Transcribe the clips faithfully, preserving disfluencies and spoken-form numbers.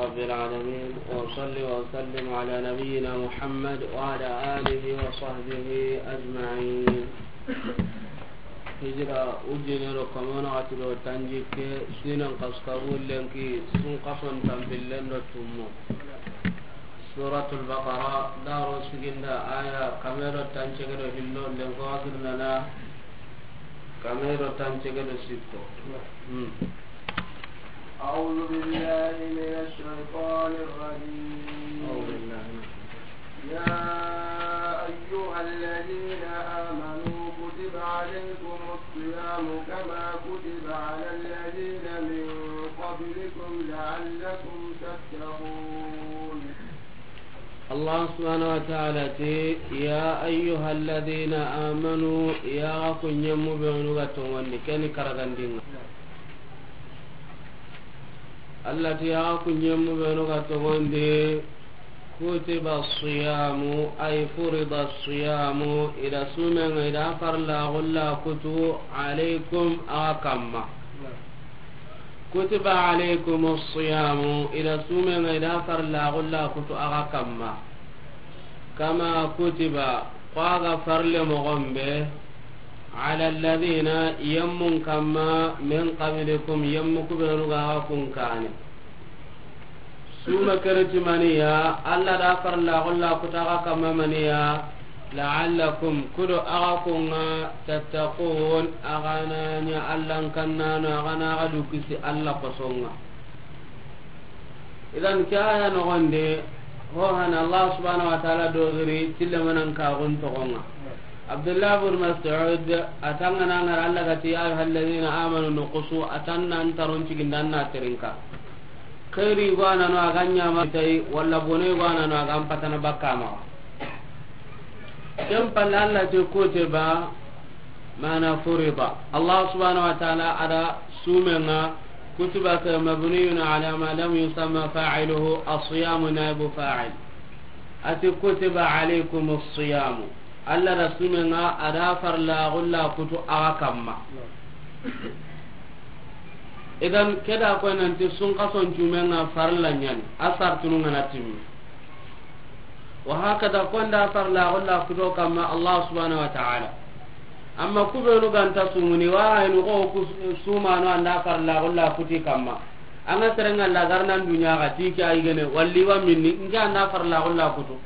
رب العالمين، وأصلي وأسلم على نبينا محمد وعلى آله وصحبه أجمعين. Hijira ujine do kamo na xati do tanjikke, sinan kaskabu lenki, sun kason tampillen do tummo. Suratul Baqara, daro siginda aya kame do tancege do hillo, lenko asir nana kame do tancege do sikko. Hmm. أعوذ بالله من الشيطان الرجيم. أعوذ بالله من الشيطان. يا أيها الذين آمنوا كتب عليكم الصيام كما كتب على الذين من قبلكم لعلكم تتقون. Allah subhanahu wa ta'ala ti, "Ya ayyuhalladhina amanu, ya ku ɲemmu benu ga tongondi, keni karagandinga." Allah ti, "Ya ku ɲemmu benu ga tongondi, kutiba siyamu, ay furida siyamu, ida sumenga, ida farla gulla kutu, alaykum, a kamma." Kutiba alaykumu siyamu, ida sumenga, ida farla gulla kutu axa kamma. Kama kutiba, ko a ga farle moxon be, ala alladhina, yemmun kamma, min qablikum, yemmu kubenu ga axa kun kane. Suma kereti maniya, Allah da farla gulla kutu axa kamma maniya, la'allakum, kudo axa kunga, tattaqun, axa na ɲa Allah n kannano, axa na axa du kisi Allah kosonga. Idan ke aya nogonde, ho hana Allah subhanahu wa ta'ala dogiri, tille manan kagun togonga. Abdullah bin Mas'ud, atanga na ngara Allah gati, "Ya ayyuhalladhina amanu nuqusu," atanna antaron cigindanna terinka. Xeeri go a na no a ga ɲama tay, walla bone go a na no a ga n patana bakka ma. Ken palle Allah ti kutiba, mana furida. Allah subhanahu wa ta'ala a da sumenga, kutiba ke mabniyun ala ma lam yusamma fa'iluhu, as-siyamu naibu fa'il. A ti kutiba alaykumu siyamu. Allah da sumenga a da farla gulla kutu axa kamma. Idan ke da koy nanti sun kason cumenga farla ɲani, a sartunu ngana timmi. Wa hakada konda farla gulla kuto kamma Allah subhanahu wa ta'ala. Amma kubenu ganta sumuni wa haynu ko ku sumano anda farla gulla kuti kamma. Anga serenga lagarnan dunya ga tiki ay gene walli wa minni, nga anda farla gulla kutu.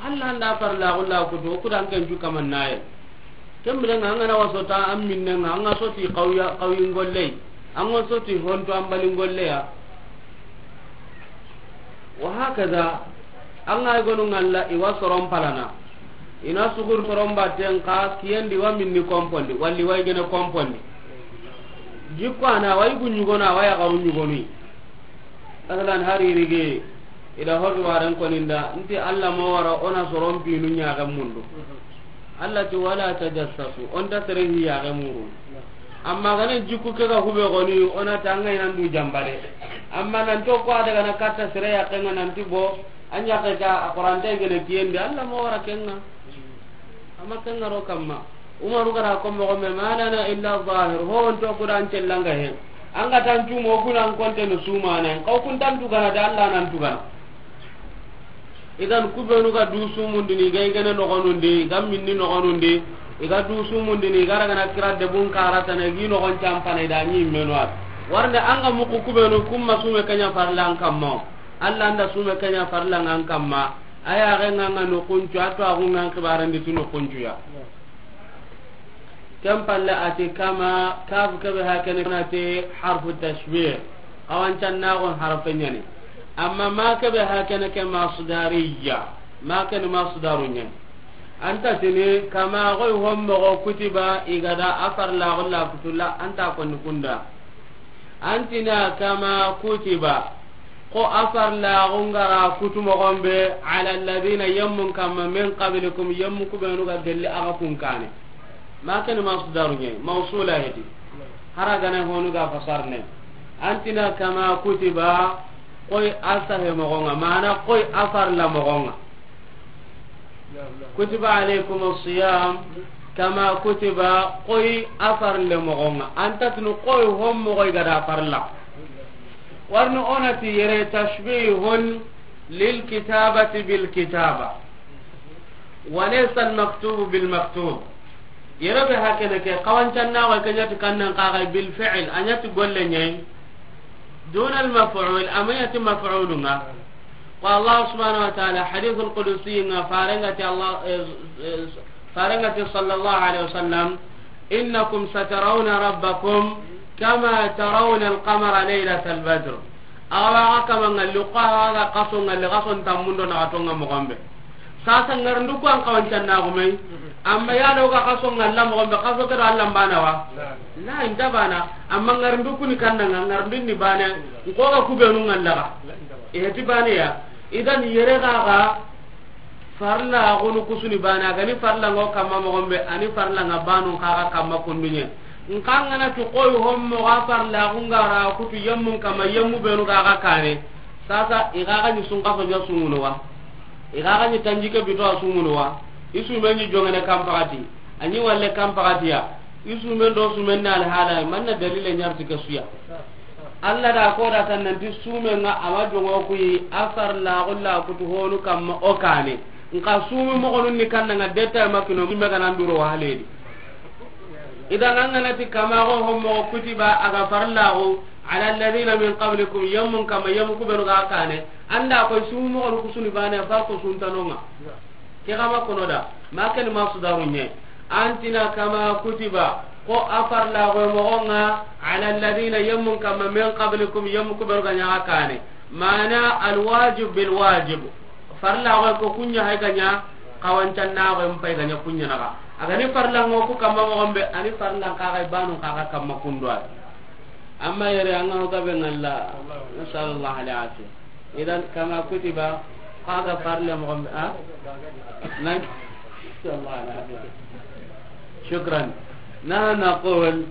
Allah anda farla gulla kutu, kudan ken ju kaman naye. Kembire nga, anga na waso ta an minne nga, anga soti qawya, qawyin golle. Anga soti honto an balin golle ya. Wa hakaza, anga gonu ngalla iwa soron palana. Ina sugur soron batten ka kiyendi wa minni kompondi, walli wa gene kompondi. Jikko ana wa igu ɲugona, wa ya garu ɲugoni. Asalan hari rige, ida hobi waren koninda, nti Allah mo wara ona soron pinu ɲaga mundu. Allah ti wala tajassasu, on ta sere hi ya ga muru. Amma gana jikku ke ga hube goni, ona tanga inan du jambare. Amma nan to ko ada gana katta sere ya kenga nan ti bo, anya ke ta Qur'an de gene kiyendi, Allah mo wara kenga. Amma kenga ro kamma. Umaru gara ko mo me malana illa zahir, ho on to Qur'an cellanga he. Anga tan tumo kunan konte no sumane, kaw kun tan tugana da Allah nan tugana. Idan kubenu ga du sumundini, ga igene nogonundi, ga minni nogonundi, iga du sumundini, ga ragana kira debun karatana, igi nogon campana, ida ɲi menu at. Warnde anga muku kubenu, kumma sume kenya farla an kamma. Allah anda sume kenya farla an kamma. Aya ga nganga no kuncu, ato agungan kibarandi tuno kuncu ya. Ken palle a ti kama, kaf kebe hakene na ti harfu tashbih. Awan can na gon harfe ɲani. Amma ma kebe hakene ke masdariya. Ma ken masdaru ɲani. Anta tini kama goy hommo go kutiba igada a farla golla kutulla anta konni kunda. Antina kama kutiba, ko a farla gungara kutu mogon be, ala alladhina, yemmun kamma, min qablikum, yemmu kubenu ga gelli aga kun kane. Ma ken masdaru ɲe, mawsula heti. Haragana honu ga fasarne. Antina kama kutiba, koy a sahe mogonga, mana koy a farla mogonga. Kutiba alaykum as-siyam kama kutiba, koy a farle mogonga. Anta tunu koy hommo koy gada farla. Warni o na ti yere tashbihun lil kitabati bil kitaba, wa laysa al maktubu bil maktub. Yere be hakene ke, xawancannaxo ke ɲa ti kannan xaxay bil fi'l, a ɲa ti golle ɲa yi. Duna al maf'ul, a ma ɲa ti maf'ulu ŋa. Ko Allah subhanahu wa ta'ala, hadithul qudusi ŋa, farenga ti Allah, eh, eh, farenga ti sallallahu alaihi wasallam, innakum satarawna rabbakum kama tarawna al qamara laylatal badr. Awa ga kama ŋalli, ko awa ga xaso ŋalli, xaso ntammundo na xato ŋa moxo be. Sasa ŋarindu ku an xawancannaxu me yi. Amma ya do ga xaso ŋalla moxo be, xaso ke do Allah n bana wa? La, i nta bana. Amma ŋarindu ku ni kannan ŋa, ŋarindu ni bane. N ko ga ku benu ŋalla ga, i heti bane ya. Idan yere ga ga farla gonu kusuni bane, a ga ni farla ŋo kamma moxo be, a ni farla ŋa banu xa ga kamma kundu ɲa. N xa ŋa na ti xoyi hommo ga farla gu ŋa ra kutu yemmun kamma, yemmu benu ga ga kane. Sasa i ga ga ni sun xaso ɲa sumunu wa? I ga ga ni tanjikke bito a sumunu wa? I sume ni joŋene kan paxati, a ni walle kan paxati ya. I sumen do sumen na alhala, manna dalile ɲa ri ti ke su ya. Allah da ko da tan nanti sumen ŋa a ma joŋo ku yi, a farla gu la kutu honu kamma o kane. N xa sumu moxonun ni kannan ŋa deta ma kino, sume ga nan duro wa haledi. Idan an ga na ti kama go hommo kutiba, a ga farla gu, ala alladhina min qablikum, yemmun kamma, yemmu ku benu ga kane. An da ko sumu moxonu kusuni bane, fa ko suntanon ŋa. Ke xa ma kono da, ma ken masdaru ɲa. An ti na kama kutiba, ko a farla gu moxo ŋa, ala alladhina, yemmun kamma, min qablikum, yemmu ku benu ga ɲa ga kane. Mana al wajib bil wajib. Farla gu ko ku ɲa hay ga ɲa, xawancannaxu n pay ga ɲa ku ɲa na ga. A ga ni farla ŋo ku kamma moxo be, a ni farla xa ga banu xa ga kamma kundu wa. Amma yere an ga ho gabe ŋalla, nasallallahu al afiya. Idan kama kutiba, xa ga farle moxo be, a? Nan, nasallallahu al afiya. Shukran. Nahnu naqul,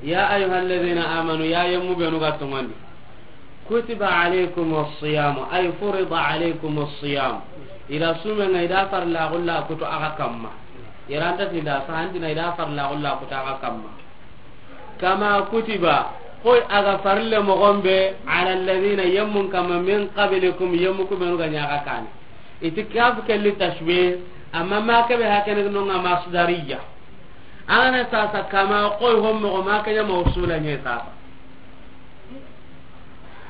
ya ayyuha alladhina amanu, ya yemmu benu ga toŋondi. Kutiba alaykum as-siyam, ay furida alaykum as-siyam. I da sumen ŋa, i da farla gu la kutu a ga kamma. Yere an ta ti da sahantina, i da farla gu la kutu a ga kamma. Kama kutiba, xoyi a ga farle moxo be, ala alladhina, yemmun kamma, min qablikum, yemmu ku benu ga ɲa ga kane. I ti kaf ke li tashbih, amma ma ke be hakene no ŋa masdariya. An ga na sasa kama xoyi hommo, ma ke ɲa mawsula ɲa sasa.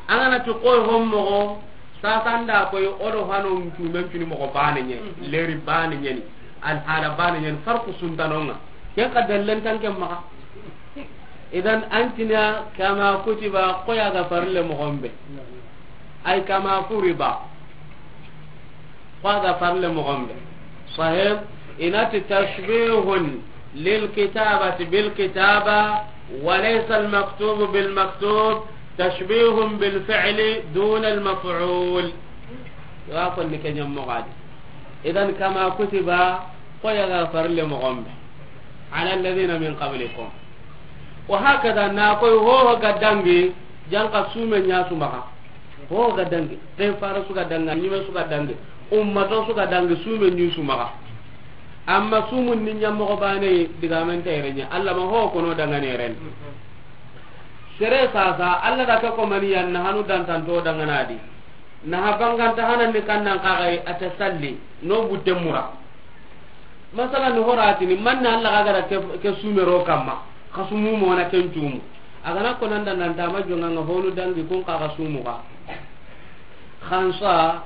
An ga na ti xoyi hommo, sasa an da koyi o do hano ncumen cuni moxo bane ɲa, leri bane ɲa ni, alhala bane ɲa ni, farku suntanon ŋa. Ken xa dallen tan ken maxa. Idan an ti na kama kutiba, xoyi a ga farle moxo be. Ay kama furida. Ko a ga farle moxo be. Sahih, i na ti tashbihun lil kitabati bil kitaba, wa laysa al maktubu bil maktub, tashbihun bil fi'li duna al maf'ul. Wa ko ni ke ɲa moxo di. Idan kama kutiba, xoyi a ga farle moxo be. Ala alladhina min qablikum. Wa hakada, na koyi ho ga dangi, janka sume ɲa su maxa. Ho ga dangi, ke fara su ga dangi, ɲime su ga dangi, ummato su ga dangi, sume ɲi su maxa. Amma sumun ni ɲa moxo bane, digamen ta yere ɲa. Allah ma ho kono dangane yere ni. Sere sasa, Allah da ke ko mani yan na hanu dantanto dangana di. Na ha banganta hanan ni kannan xa ga yi, a ta salli, no butte mura. Masalan, ni horatini, manna Allah ga gara ke, ke sumero kamma, xa sumu mona ken cumu. A ga na ko nan da nan ta ma jonga ŋa honu dangi kun xa ga sumu ga. Xansa,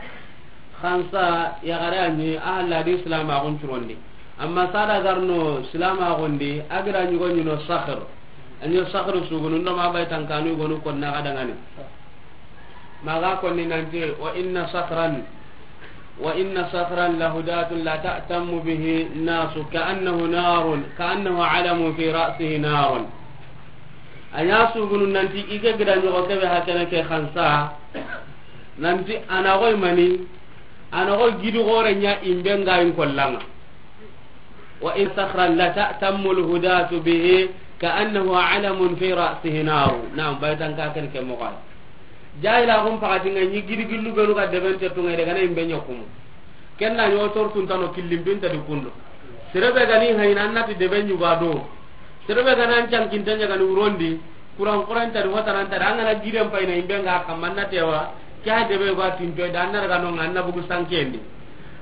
xansa, ya gara ni, a halla di Islam a gun curondi. Amma sada garno Islam a gundi, a gira ɲugo ɲuno Sakhr. A ɲi Sakhr sugunu ndo ma bay tankanu gonu ko na ga dangani. Maga konni nanti, wa inna sakhran, wa inna sakhran lahudatun la ta'tammu bihi nasu ka'annahu narun, ka'annahu alamun fi ra'sihi narun. A ɲa sugunu nanti i ke gida ɲogo kebe hakene ke xansa, nanti a na goy mani, a na goy gidi gore ɲa imbe nga in kollanga. Wa in sakhran la ta'tammu al-hudatu bihi ka'annahu alamun fi ra'sihi naru. Naam, baytan ka ken ke moxo. Jahila xum pakati nga ɲi gidi gillu benu ga deben te tunga de gana imbe ɲa kumu. Ken na ɲo tor tun tano killim bin ta di kundo. Serebe gani hayna nati deben ɲuga do. Serebe gana an cankinte ɲa gani urondi. Kuran kuran tadi, hotanan tadi, an ga na giden payini, imbe nga kamma na tewa, ke a debe go a tinto da, an na daga no nga, an na bugu sankendi.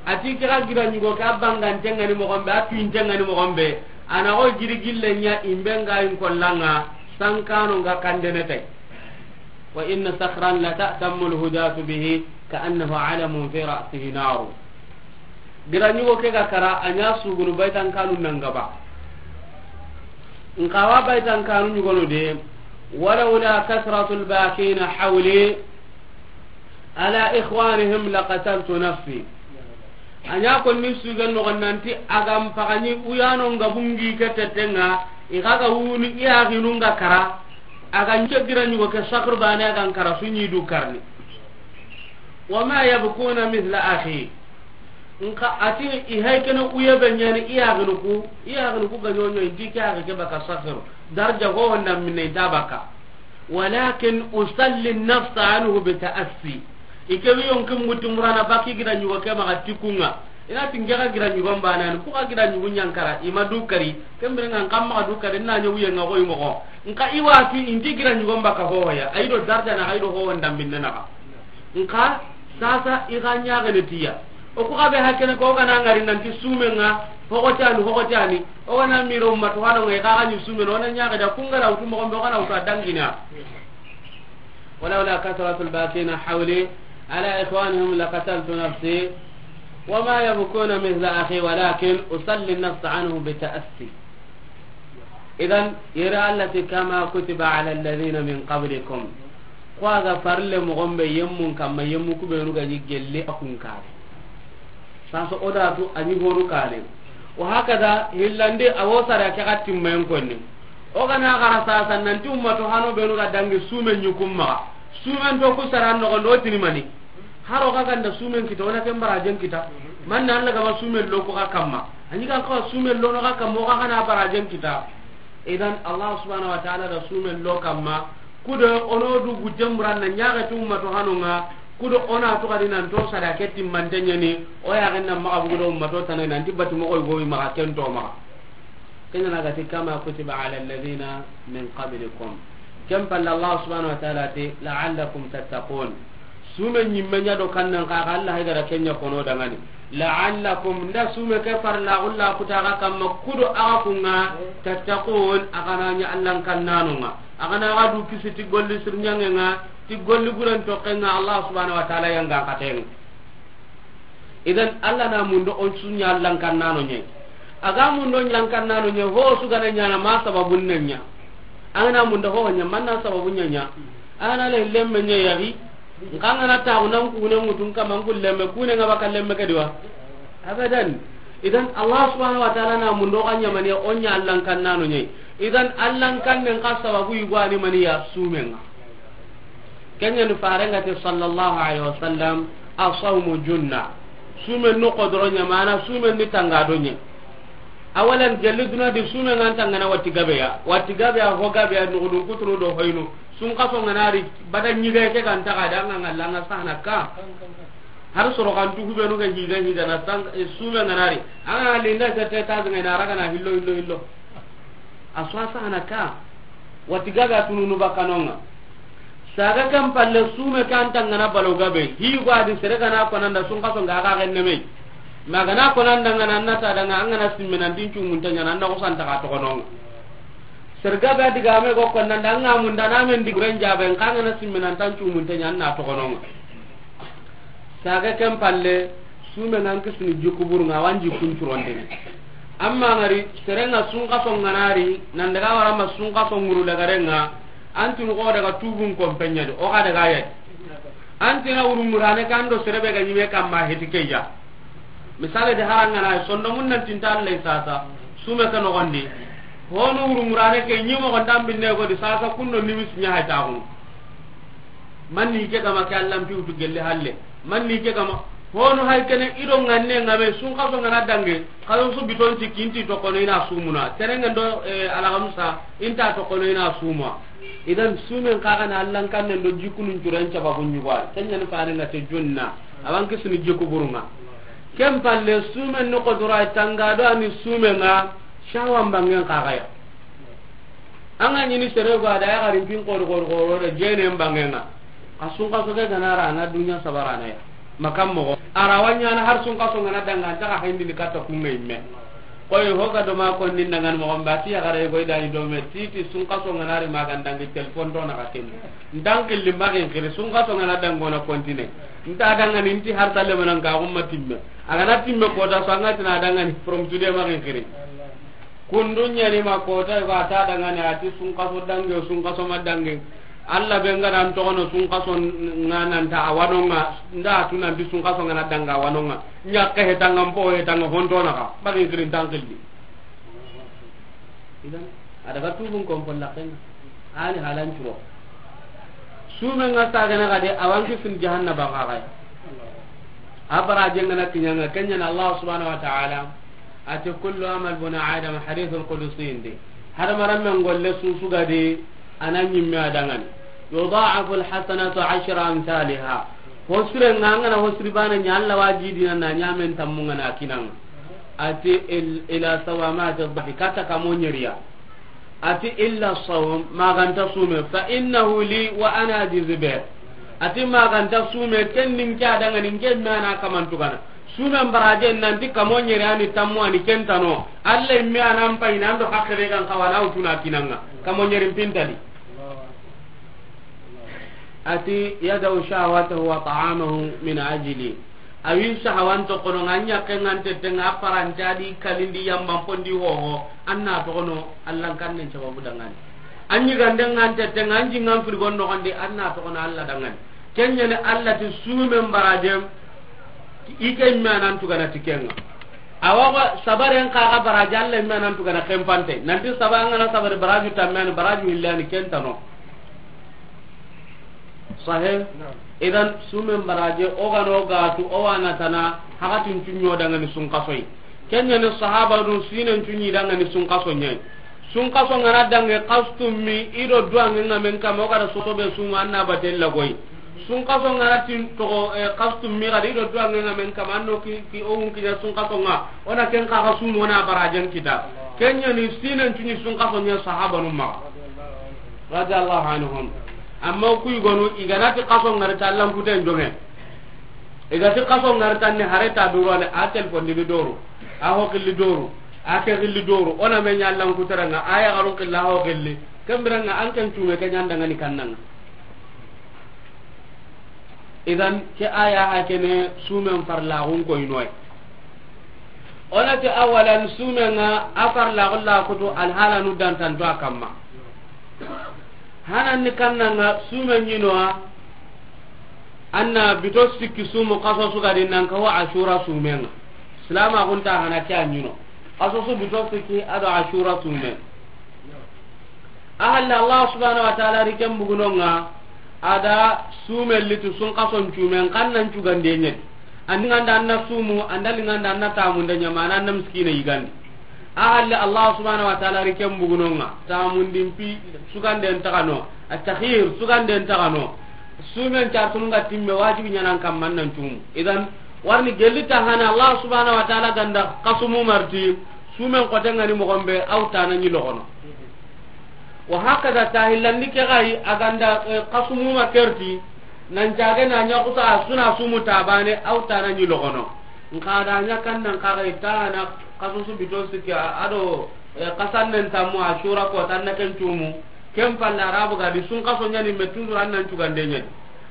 A ti ke ga gida ɲugo ke, a bangante nga ni moxon be, a tuwinte nga ni moxon be, a na go gidi gille ɲa, imbe nga in kollanga, sankano nga kandene tay. Wa inna sakhran la ta'tammu al-hudatu bihi ka'annahu alamun fi ra'sihi naru. Gida ɲugo ke ga kara, a ɲa sugunu baytankanu nangaba. Nkawa baytankanu ɲugono de, walawla kasratul bakina hawli ala ikhwanihim laqataltu nafsi. A ɲa konni sugen noxon nanti, a ga n pagani uyano nga bungi ke tetenga, i ga ga wuni i yaxinu nga kara, a ga n ke gida ɲugo ke sakr bane a ga n kara su ɲi du karni. Wama yabkuna mithla akhi. Nka a ti i hay kene uye be ɲani i yaxinu ku, i yaxinu ku ga ɲoɲo, inti ke yaxe ke baka sakr. Darja ho honda minne inta baka. Walakin usalli nafsa anhu bi ta'assi. I ke wi yonki muti murana baki gida ɲugo ke maxa tikunga. I na ti n ke ga gida ɲugo n banani, ku ga gida ɲugo ɲankara, i ma du kari. Kembere nga n kamma ga du kari, na ɲa wuye nga go i moxo. Nka i wa ti inti gida ɲugo n baka hohoya. Ayi do darja na, ayi do ho honda minne naxa. Nka sasa i ga ɲaxene tiya. O ku ga be hakene ko o ga na ngari nanti sumen nga, hoxotani, hoxotani. O ga na miro umma to hano nga, i ga ga ɲi sumen, o na ɲaxe da kungara wutu moxon be, o ga na wutu a dangina. Walawla kasratul bakina hawli ala ikhwanihim laqataltu nafsi, wama yabkuna mithla akhi, walakin usalli nafsa anhu bi ta'assi. Idan, yere Allah ti, kama kutiba ala alladhina min qablikum. Ko a ga farle moxon be yemmun kamma, yemmu ku benu ga ɲi gelle a kun kare. Sasa o da tu a ɲi honu kare. Wa hakada, hillandi a wo sara ke ga timmen konni. O ga na xara sasa nanti umma to hano benu ga dangi sumen ɲi kun maxa. Sumen to ku sara noxon do tini mani. Haro ga ganda sumen kita, o na ken barajen kita. Man na Allah ga ma sumen lo ko ga kamma. A ɲi kan ko sumen lo no ga kamma, o ga na barajen kita. Idan Allah subhanahu wa ta'ala da sumen lo kamma. Kudo ono du gujemburan na ɲaga tu umma to hanonga. Kudo ona to kadi nan to sada ke timmante ɲani. O ya ganna maxa bugu do umma to tanay nanti bati moxo go maxa ken to maxa. Kenya na ga ti, kama kutiba ala alladhina min qablikum. Ken palle Allah subhanahu wa ta'ala ti, la'allakum tattaqun. Sume ɲimme ɲa do kannan xa, xa Allah hay gara kenya kono dangani. La'allakum, nda sume ke farla ulla kuta ga kamma kudo aga kunga, tattaqun, aga na ɲa Allah kannanonga. Aga na ga du kisi ti golli sirnyangenga, ti golli buren tokenga Allah subhanahu wa ta'ala yanga katenga. Idan Allah na mundo on sunya lankannano nye. Aga mundo lankannano nye, ho su gana nyana ma sababun nanya. Angana mundo ho nya, manna sababun nya nya. Angana le lemme nya yari. Nkangana ta unan kune mutun kama nkul lemme, kune ngaba ka lemme kadiwa. Abadan. Idan Allah subhanahu wa ta'ala na mundo kanya mani onya lankannano nye. Idan Allah kan nen ka sababu igwani mani ya sumenga. Kenya ni farenga te sallallahu alaihi wasallam, asawmu junna. Sumen no kodoro nya, mana sumen ni tanga do nye. Awalan gelli duna di sumen ngan tangana wati gabe ya. Wati gabe ya, ho gabe ya, nugudun kuturu do hoynu. Sun kaso nganari, bada nyiga ke kan taga da nga ngalla nga sahana ka. Har soro kan tu hubenu ga higa higa na sang, eh, sumen nganari. Anga linda sete ta zanga na raga na hillo, hillo, hillo. A so a sahana ka, wati gabe a tununu bakkanonga. Saga kan palle sume kan tangana balo gabe, hi go adi sere gana konanda sun kaso nga ga genne me. Ma gana konanda ngana annata danga angana simmena din cumunta nyana anda ko santa ka tokononga. Sere gabe adi game go konanda anga munda na men di guren jabe ngana simmena tan cumunta nyana tokononga. Saga ken palle, sume ngan kisini jikku burunga, a wa n jikkun curondini. Amma ngari, serenga sunkaso nganari, nan daga warama sunkaso nguru daga renga, antinu ko daga tubun kompenyadi, o ga daga yadi. Antina wuru murane kando serebe ga nyime kamma heti keya. Misale de harangana, sondomun nan tinta Allah sasa, sume ke nogondi. Honu wuru murane ke nyimo gonda binne godi sasa kundo nimis nya haytaxunu. Manni ke kama ke Allah mpi wutu gelle halle. Manni ke kama. Hono hay kene ido nganne ngame sun kaso ngana dange. Kaso su biton ti kinti to kono ina sumuna. Tenenga do, eh, alagamsa inta to kono ina suma. Idan sumen kaga na Allah kannen do jikunun curan caba bunyuwa. Tanya ni fare ngate junna. Awan kisuni jiku burunga. Ken palle sumen no kodura tanga do ani sumenga shawan bangen kaga ya. An ga ɲini sere go a da ya garin pin kori kori kori da jene mbangenga. A sunkaso ke ga na ra na dunya sabarana ya. Makam mogo. A ra wa ɲaana har sunkaso ngana danga, an ta ga hayndini katta kunga imme. Koy ho ga do ma konni ndangan mogo mba ti ya gare go i da ni do me ti ti sunkaso ngana ri ma ga ndangi telefon do na ka ken. Ndan killi ma ken kiri sunkaso ngana dango na kontine. Nta danga ni nti har talle manan ka umma timme. A ga na timme ko da so an ga tina danga ni from today ma ken kiri. Kundu ɲani ma kota, i ga ta dangani a ti sunkaso dange, sunkaso ma dange. Alla be nga dan toxono sunkaso nga nan ta a wanonga, nda tu nan ti sunkaso nga na danga a wanonga. Ɲakke hetanga mpo hetanga hontona ka, bagi kirin tankilli. Idan, a daga tubun kompon lakenga. Ani halan curo. Sume nga sagana gade, a wanki fin jahannaba ga gaya. A barajen nga na kiɲanga, ken ɲa na Allah subhanahu wa ta'ala. A ti, "Kullu amal buna Adam," hadithul qudusi ndi. Hadamaren men golle susu gadi, a na ɲimme a dangani. Yudha'afu al-hasanatu ashra amthaliha. Hosire nga, an ga na hosiri bana ɲa, Allah wa jidina na ɲamen tammu nga na kinanga. A ti, il-, ila sawamati dhahri, katta kamo ɲeriya. A ti, "Illa sawm, ma ga nta sume, fa innahu li wa ana ajzi bih." A ti, "Ma ga nta sume, ken ni n ke a dangani, n ke me a na kaman tugana." Sumen baraje nan ti kamo ɲeri ani tammu ani ken tano. Alla me a na n payini an do hakkere gan kawana wutuna kinanga. Kamo ɲeri pintadi. A ti, "Yada'u shahwatahu wa ta'amahu min ajli." A wi sahawan toxono nga, ɲakke nga n tette nga, a parante a di kalindi yamban pondi hoho, an na toxono Allan kannen sababu dangani. An ɲigande nga n tette nga, an jingan frigon noxondi, an na toxono Alla dangani. Ken ɲa ni Alla ti sumen barajem, i ke me a na n tugana ti kenga. Awa ko sabaren xa ga baraje, Alla me a na n tugana kempante. Nanti saba an ga na sabari baraju tamme ani baraju hillani ken tano. Sahe? Naam. Idan, sumen baraje, o ga no gatu, o wa na tana, hakatin cunɲo dangani sunkasoyi. Ken ɲa ni sahaba dun sinen cunɲi dangani sunkaso ɲayi. Sunkaso nga na dange kastummi, i do duwange nga men kama, o ga da sosobe suma, an na batella goyi. Sunkaso nga na tin toxo, eh, kastummi gadi, i do duwange nga men kama, an no ki, ki o wun kiɲa sunkaso nga, o na ken xa ga sumo na barajen kita. Ken ɲa ni sinen cunɲi sunkaso ɲa sahaba num maxa. Radiyallahu anhum. Amma ku yigonu, i ga na ti kaso ngari ta Allan kuten jonge. I ga ti kaso ngari ta ni hare ta duro ne, a telefon di doro. A ho killi doro. A ke killi doro. O na me ɲa Allan kuteranga, a ya garun killa ho killi. Kembiranga an ken cume ke ɲa ndangani kannanga. Idan, ke aya ha kene sumen farlaxun koynoy. O na ti awalan sumen nga a farlaxun la kutu alhalanu dantanto a kamma. Hanan ni kannanga sumen ɲinoa, an na bito sikki sumu kaso sugadi nan kawa Ashura sumen nga. Silama gunta hana ke a ɲino. Kaso su bito sikki ado Ashura sumen. A halle Allah subhanahu wa ta'ala ri ken bugunonga, a da sume litu sun kason cumen kan nan cugande ɲedi. Andi nganda an na sumu, anda linganda an na tamunde ɲamana an na miskine yigandi. A halle Allah subhanahu wa ta'ala ri ken bugunonga, tamundin pi suganden tagano, at-takhir suganden tagano. Sumen cartununga timme wajibi ɲanan kamman nan cumu. Idan, warni gelli ta hana Allah subhanahu wa ta'ala ganda kasumu marti, sumen kotengani mogombe, aw tana ɲi logono. Wa hakada tahillandi ke gai a ganda, eh, kasumuma kerti, nan cage na ɲa kusa a suna sumu tabane, aw tana ɲi logono. Nka da ɲa kan nan ka gai tana kasusu bito sikki a, ado, eh, kasannen tammu Ashura ko tanna ken cumu. Ken palle Arabu gadi sun kaso ɲani me toujours an nan cugande ɲani.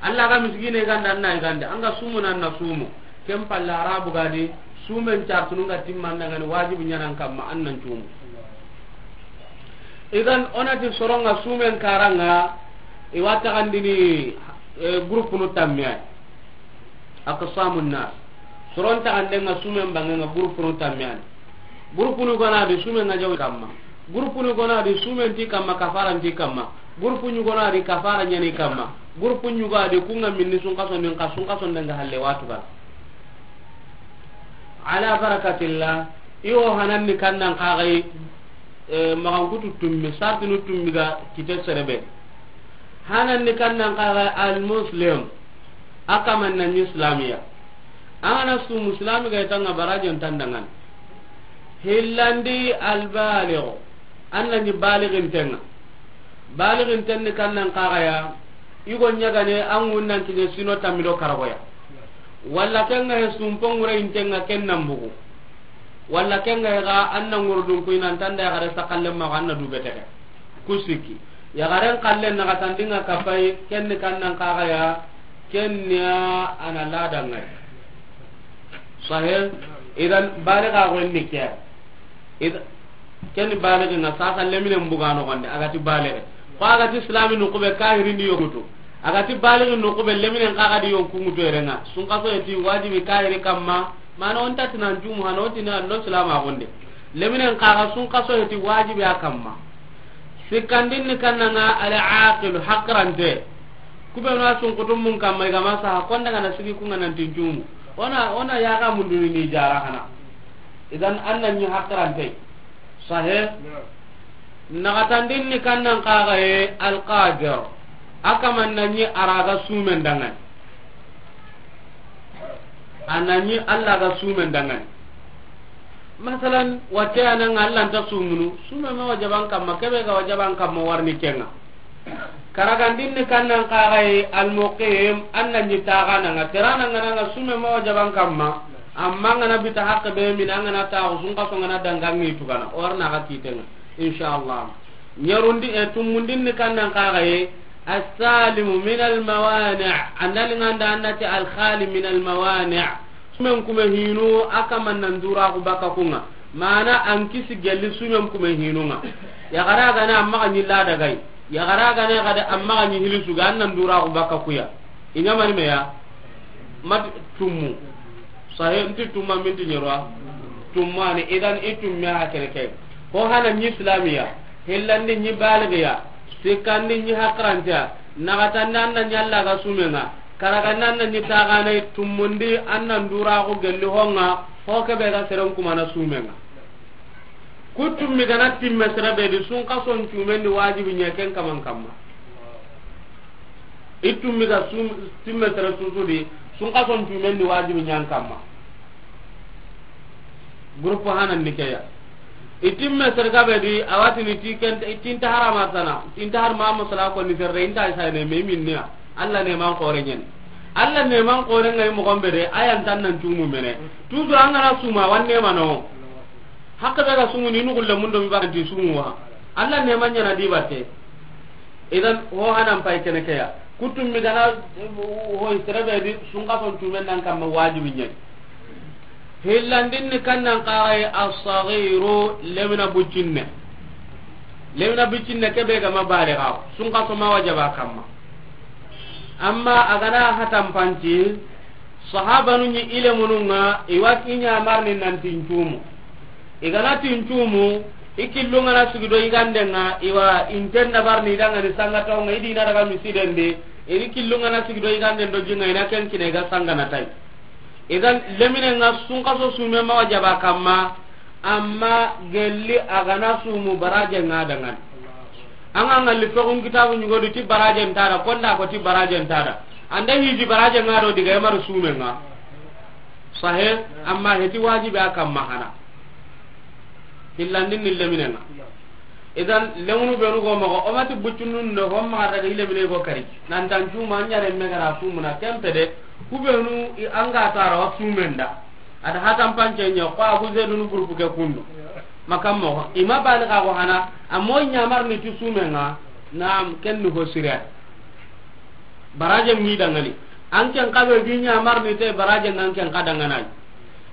Allah ga miskine ganda an na gande, an ga sumu nan na sumu. Ken palle Arabu gadi sumen cartununga timman dangani wajibi ɲanan kamma an nan cumu. Idan o na ti soronga sumen karanga, i wa taxandini, eh, groupe nu tamme ay. Aqsamun nas. Soron taxandenga sumen bangenga groupe nu tamme ani. Groupe nu gona di sumen na jaw kamma. Groupe nu gona di sumen ti kamma, kafaran ti kamma. Groupe nu gona di kafara ɲani kamma. Groupe nu gona di kunga minni sun kaso nin ka sun kaso ndanga halle watu ga. Ala barakatillah, iwo hanan ni kannan kagai, eh, magan kutu tummi, sartinu tummi ga kite serebe. Hanan ni kannan kagai al muslim, akaman na ni islamiya. Ana su muslimi ga itanga barajon tandangan. Hillandi al baligh, an na ni balighin tenga. Baliginten ni kannan kaxaya, i go ɲagane an ŋun nan kiɲe sino tammi do karagoya. Walla ken ga he sumpo ŋure yinten ŋa ken nan bugu. Walla ken ga he ga an na ŋurudun kuyi nan tanda yaxare sakallen maxa an na dube tege. Ku sikki. Yaxaren kallen naxatandi ŋa kapay, ken ni kannan kaxaya, ken ni a na ladan ŋa yi. Sahe, idan baliga go ni ke. Id-, ken baligi ŋa sasa leminen buga noxonde, a ga ti baligi. Ko a ga ti islami nuxu be kahiri ni yonkutu. A ga ti baligi nuxu be leminen xa ga di yonku ŋutu yere ŋa. Sunxaso ye ti wajibi kahiri kamma, mana o nta ti nan cumu hana o ti na lo silamaxunde. Leminen xa ga sunxaso ye ti wajibi a kamma. Sikkandin ni kannan ŋa al aqilu, hakirante. Ku be no a sunkutu mun kamma i ga ma saha, konda ga na sigi ku ŋa nan ti n cumu. O na, o na yaxa munduni ni jara hana. Idan an na ɲi hakirante. Sahe. Naxatandin ni kannan kaxaye alqadir. A kaman na ɲi a ra ga sumen dangani. A na ɲi Alla ga sumen dangani. Masalan, watte a na ŋa Alla nta sumunu, sume ma wajaban kamma, kebe ga wajaban kamma warni ken ŋa. Karagandin ni kannan kaxaye almuqim, an na ɲi taxana ŋa, terana ŋa na ŋa sume ma wajaban kamma, amma ŋa na bita haqqe be mina ŋa na taxu sunxaso ŋa na dangangi tugana, o warna ga kiten ŋa, inshallah. Ɲerundi, e, tumundin ni kannan kaxaye, assalimu min almawani, andali ŋa nda an na ti alkhali min almawani. Sumen kume hinu, a kaman nan dura ku baka ku ŋa. Mana an kisi gelli sumen kume hinu ŋa. Yaxara gane amma ga ɲi lada gay. Yaxara gane gade amma ga ɲi hilisu ga an nan dura ku baka kuya. I ɲamani meya. Mat tummu. Sahe nti tumma minti ɲerwa. Tummani idan i tumme ha kene ke. Ko hana ɲi islamiya. Hillandi ɲi baligiya. Sikkandi ɲi hakirantiya. Naxatandi an na ɲi Alla ga sumen ŋa. Karaga nan na ɲi taxanay tumundi an nan dura ku gelli ho ŋa, ho kebe ga seren kumana sumen ŋa. Ku tummi gana timme sere be di sunxason cumen di wajibi ɲa ken kaman kamma. I tummi ga sum-, timme sere susu di sunxason cumen di wajibi ɲan kamma. Groupe hanan ni keya. Itimme sergabe di awatini ti ken, tinta harama sana, tinta har ma musala ko ni serre inta isa ne me minniya. Alla ne man xore ɲen. Alla ne man xore ngai mo gombe de, ayan tan nan cumu mene. Toujours an ga na suma wanne mano. Hakke be ga sumu ni nugulle mundo mi ba ti sumu wa. Alla ne man ɲana di batte. Idan ho hanan pay kene keya. Kutum mi gana ho serebe di sunxason cumen nan kamma wajibi ɲen. Hillandin ni kannan kaxay assagiru lemina buccinne. Lemina buccinne kebe ga ma baliga sunxaso ma wajaba kamma. Amma a gana hatampanci, sahabanu ɲi i lemunun ŋa, i wa i ɲamarni nanti n cumu. I gana ti n cumu, i killun ŋa na sigi do yiganden ŋa, i wa inten dabarni i dangani sangatawo ŋa, i dina daga misiden di, i ri killun ŋa na sigi do yiganden do jinga, i na ken kine i ga sangana tay. Idan leminen ŋa sunxaso sume ma wajaba kamma, amma gelli a gana sumu baraje ŋa dangani. An ga ŋalli fexun kitabu ɲugodi ti baraje ntada, konda ko ti baraje ntada. Anda hiji baraje ŋa do diga yamar sumen ŋa. Sahe, amma heti wajibi a kamma hana. Hillandin ni leminen ŋa. Idan lemunu benu go moxo, o mati buccunun do, hon maxa daga i lemine go kari. Nan tan cuma, an ɲare me gara sumuna, kempe de, ku benu i an ga tara wa sumen da. Ada hatan pance ɲa, ko Abu Zaidun groupe ke kundu. Makam moxo, i ma baliga go hana, a moy ɲamarni ti sumen ŋa, naam, ken ni ho sire. Baraje mi dangani. An ken kabe gi ɲamarni te baraje ngan ken ka danganay.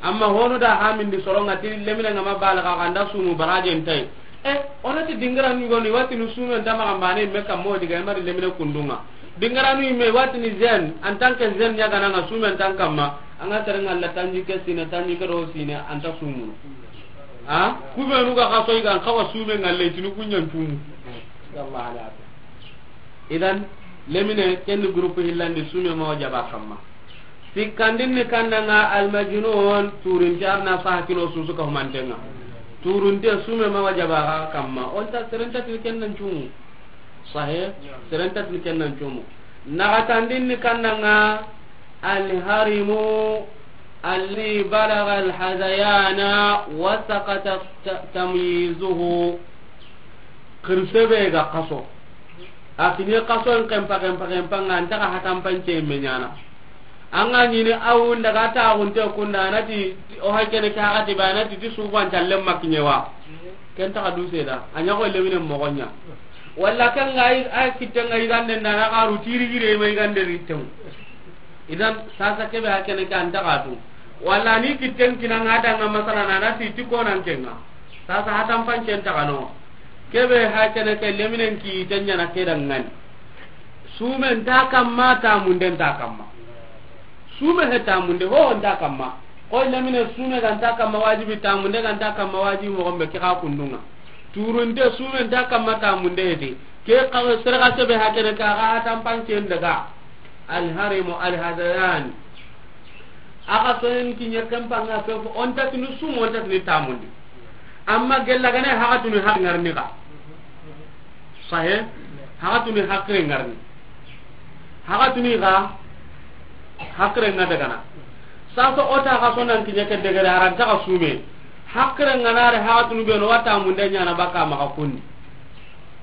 Amma honu da hamindi soronga ti lemine nga ma balaga kanda sumu baraje ntai. E, onati dingara ni goni wati nu sumu nta ma kambane me kammo diga mari lemine kundunga. Dingara nu me wati ni zen, en tant que zen ya gana nga sumu en tant kamma, anga serenga la tanji ke sine, tanji ke do sine, anta sumu. Ha? Kube nu ga kaso iga kawa sumu ngalle tinu kunyan tumu. Ya Allah ala. Idan, lemine, ken ni groupe hillandi, sume ma wajaba kamma. Sikkandin ni kannanga, almajnun, turinte arna saha kino susu ka humantenga. Turinte sume ma wajaba ga kamma. Onta serenta tin ken nan cumu. Sahe, serenta tin ken nan cumu. Nagatandin ni kannanga, alharimu, alli balaga alhadayana, wa sakata ta-, tamyizuhu. Kirsebe ga kaso. A kiɲe xaso n xenpa, xenpa, xenpa ŋa, an ta xa hatanpance me ɲaana. An ga ɲini a wu n daga taaxunte kunda, a na ti, o hay kene ke haxati ba, a na ti, ti suuban callen ma kiɲe wa. Ken ta xa du seeda, a ɲa xo lemine moxo ɲa. Walla ken ga yi, a kitten ga yigande nda na xaru tiri gire ma yigande ritemu. Idan, sasa kebe ha kene ke an ta xa tu. Walla ni kitten kina ŋa da ŋa masala na na ti ti konan ke ŋa. Sasa hatanpancen ta xa no. Kebe ha kene ke leminen ki te ɲaana ke da ŋani. Sumen ta kamma, tamunden ta kamma. Sume he tamunde ho nta kamma. Ko lemine sume ga nta kamma wajibi, tamunde ga nta kamma wajibi, moxo be ke xa kundu ŋa. Turunte sume nta kamma, tamunde heti. Ke xa sere ga sebe ha kene ka ga hatanpancen daga. Alharimu alhadayan. A ga sonen kiɲe kempa ŋa fefo, o nta tini sumu, o nta tini tamundi. Amma gella gane haxatuni haxi ŋarini xa. Sahe, haxatuni haxire ŋarini. Haxatuni xa, haxire ŋa dagana. Sasa o ta xa sonan kiɲe ke degere, a ra nta xa sume. Haxire ŋa na re haxatuni be no wa tamunde ɲaana baka maxa kundi.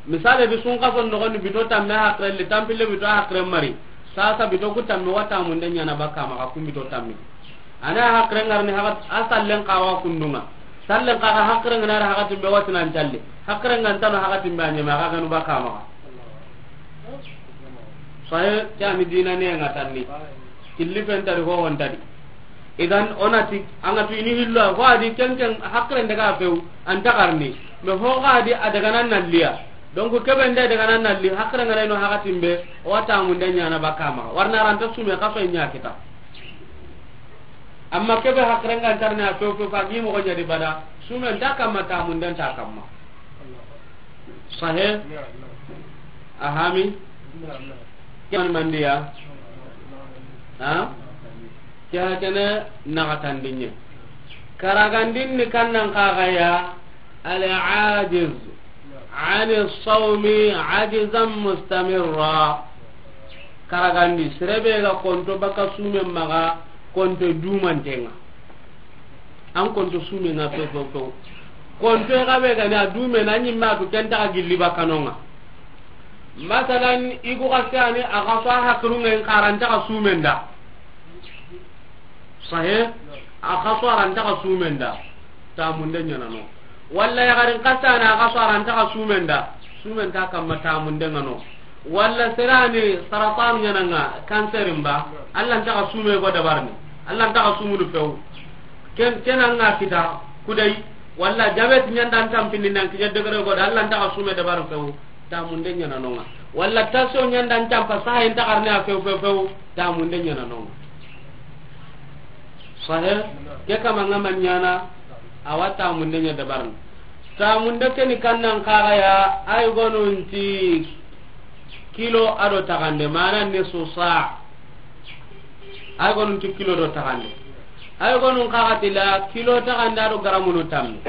Misale di sunkaso noxondi bito tamme haxire li, tanpille bito haxire mari. Sasa bito ku tamme wa tamunde ɲaana baka maxa kun bito tamme. A na haxire ŋarini haxat, a sallen xa wa kundu ŋa. Sallen xa ga haxire ŋa na re haxatin be watinan calle. Haxire ŋa nta no haxatin be a ɲeme, a xa ganu baka maxa. Sahe, ke a ni dina ne ŋa tanni. Killi fen ta di, ho hon ta di. Idan, o na ti, an ga tu i ni hillo, ho a di ken ken haxire n daga few, an ta xarini. Mais ho ga di a daga nan nalliya. Donc, kebe nda daga nan nalli, haxire ŋa na no haxatin be, o wa tamunde ɲaana baka maxa. Wari na ra nta sume xaso ɲa kita. Amma kebe haxire ŋa nta ri na few few, fa gi moxo ɲa di bada, sume nta kamma, tamunde nta kamma. Sahe? A hami? Ke mani mandiya? Ha? Ke ha kene naxatandinɲe. Karagandin ni kannan xa ga ya, al-ajiz ani sawmi ajizan mustamirra. Karagandi, sere be ga konto baka sumen maxa, konto dumanten ŋa. An konto sumen ŋa few, few, few. Konto ga be ga ni a dume na ɲimme a tu ken ta xa gilli baka no ŋa. Masalan, i gu ga ke a ni a ga so a haxirun ŋa in xa ra nta xa sumen da. Sahe, a xa so a ra nta xa sumen da. Tamunde ɲaana no. Walla yaxarin xa sa na a ga so a ra nta xa sumen da. Sumen ta kamma, tamunde ŋa no. Walla sere ni saratan ɲaana ŋa, cancer mba, Alla nta xa sume go dabarini. Alla nta xa sumunu few. Ken, ken an ga kita, kudai, walla diabète ɲa nda an tanpindi nan kiɲe degere go da, Alla nta xa sume dabarini few. Tamunde ɲaana no ŋa. Walla tension ɲa nda an tanpa, saha i nta xarini a few, few, few. Tamunde ɲaana no ŋa. Sahe, ke kama ŋa ma ɲaana, a wa tamunde ɲa dabarini. Tamunde ke ni kannan xa ga ya, ay gonun ti kilo a do taxande, mana nisfu sa. Ay gonun ti kilo do taxande. Ay gonun xa ga ti la kilo taxande a do garamunu tamme.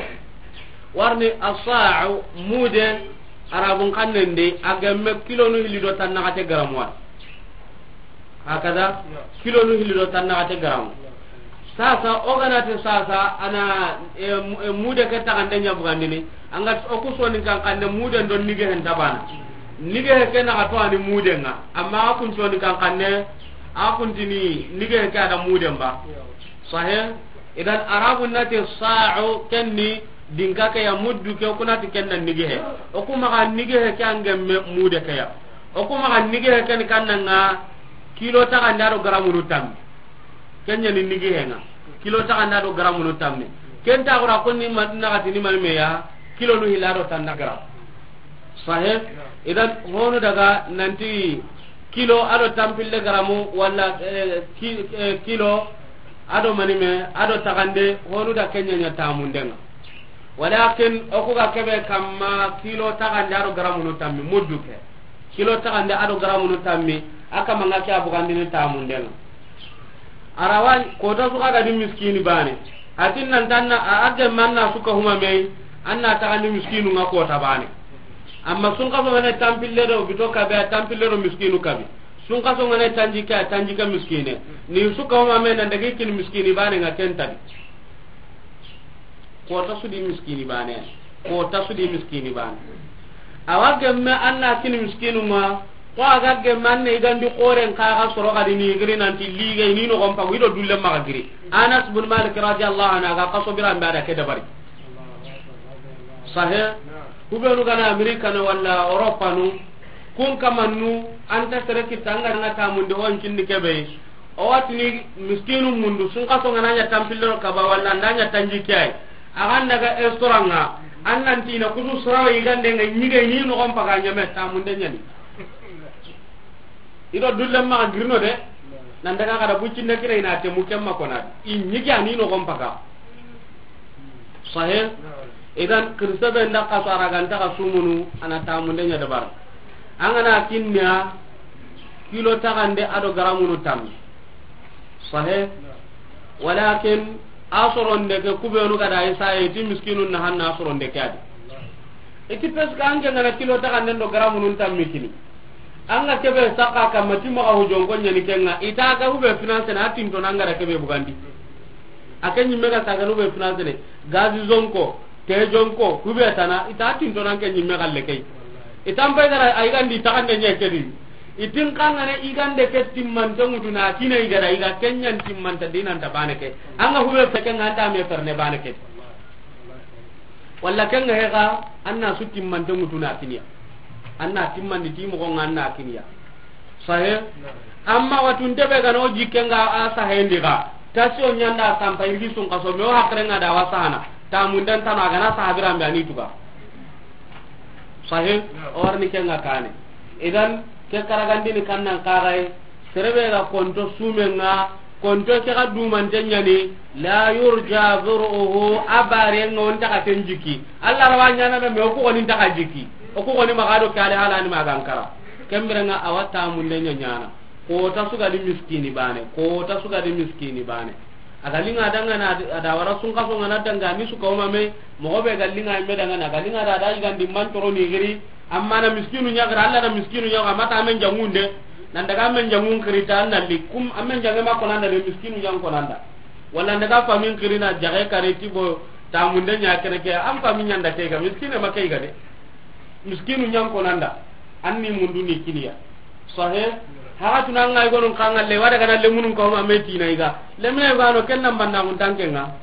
Wari ni as-sa'u mude, Arabun xannen di, a gemme kilonu hilli do tannaxate garamu wa. Hakada, kilonu hilli do tannaxate garamu. Sasa, o ga na ti sasa, a na, e, mu-, e, mude ke taxande ɲa bugandini, an ga o ku soninkan xanne muden do nigehen ta bana. Nigehe ke na xa to a ni muden ŋa, amma a kun soninkan xanne, a kun tini nigehe ke a da muden ba. Sahe, idan Arabun na ti sa'u, ken ni dinka ke ya, muddu ke, o ku na ti ken na nigehe. O ku maxa nigehe ke a gemme mude ke ya. O ku maxa nigehe ke ni kannan ŋa kilo taxande a do garamunu tamme. Ken ɲa ni nigehe ŋa. Kilo taxande a do garamunu tamme. Ken ta xura ko ni ma, na xa ti ni mani me ya, kilonu hilli a do tanna garam. Sahe? Idan, honu daga nanti kilo a do tanpille garamu, walla, eh, ki-, eh, kilo a do mani me, a do taxande, honu da ken ɲa ɲa tamunden ŋa. Walakin, o ku ga kebe kamma kilo taxande a do garamunu tamme, muddu ke. Kilo taxande a do garamunu tamme, a kama ŋa ke a bugandini tamunden ŋa. A ra wa kota su xa ga di miskini bane. A ti nan tanna, a, a gemme an na su ka huma me, an na taxandi miskinu ŋa kota bane. Amma sunkaso ŋa ne tanpille do bito kabe, a tanpille do miskinu kabe. Sunkaso ŋa ne tanjikke, a tanjikke miskine. Ni su ka huma me nan daga i kini miskini bane ŋa ken ta di. Kota su di miskini bane. Kota su di miskini bane. Awa gemme an na kini miskinu ma, ko a ga gemme an na i gandi xoren xa ga soro xadi ni giri nanti liga i ni noxon pagu i do dulle maxa giri. Anas bin Malik radiyallahu anhu a ga xaso biran be a da ke dabari. Sahe, kubenu gana Amerika no walla Europa no, kun kamannu an ta sere kitta an ga na tamunde on kinni kebe. O watini miskinu mundu, sun xaso nga na ɲa tampillo kaba, walla nda ɲa tanji kiyai. A ga n daga estoranga, an nan tina kusu soro i gande nga ɲige ni noxon paga ɲame tamunde ɲani. I do dulle maxa girino de, nan daga kada buccinde kira i na temu kemma kona. I ɲige a ni noxon paga. Sahe. Idan, kirse be nda xaso a ra ga nta xa sumunu, a na tamunde ɲa dabar. An ga na kinniya, kilo taxande a do garamunu tammi. Sahe. Walakin, a soronde ke kubenu ga da i saye, i ti miskinu na hanna a soronde ke a di. I ti parce que an ke nga na kilo taxande ndo garamunun tammi kini. An ga kebe saka kamma ti maxa hujonko ɲani kenga, i ta ga hube finance na a tinto na an ga da kebe bugandi. A ke ɲimme ga saganu be financene, gazi zonko, te jonko, hube tana, i ta tinto nan ke ɲimme galle key. I tan pay gara, a i gandi taxande ɲe kedi. I tin kangane i gande ke timmante ŋutu na kine i gada, i ga kenɲan timmante dinanta bane ke. An ga hube feke nga anta me ferne bane ke. Walla kenga hega, an na su timmante ŋutu na kiniya. An na timmandi ti moxo nga an na kiniya. Sahe. Amma watunte be gano jikke nga a sahendi ga. Tasi o ɲanda sampa irgi sun xaso me o hakre nga da wa sahana. Tamunden tano a gana sahabiran be a ni tuga. Sahe. O warni kenga kane. Idan ke karagandini kannan kaxay. Serebe ga konto sumenga, konto ke ga dumante ɲani, la yurja zur'uhu, a barenga o nta xa ten jiki. Allah rawa ɲana me, me o ku goni nta xa jiki. O ku goni maxa do kale halani maga ankara. Kemberenga awa tamunde ɲa ɲana. Kota su ga di miskini bane, kota su ga di miskini bane. A ga linga dangana a da wara sun xaso nga na danga ni su kawma me, moxo be ga linga me dangana, a ga linga da da i gandi man toro ni giri, amma na miskinu ɲa giri, Allah na miskinu ɲa, amma ta men jangunde, nan daga men jangun kiri ta na li kum, amen jange ma konanda de miskinu ɲan konanda. Wala daga famin kiri na jage kare ti bo tamunde ɲa kene ke, am famin ɲanda ke ga, miskine ma ke ga de. Miskinu ɲan konanda, anni mundu ni kiniya. Sahe, haga tuna ngai gonun kanga le, wada kana le munun ko ma meti na iga. Le me gano ken nan banna mun tanke nga.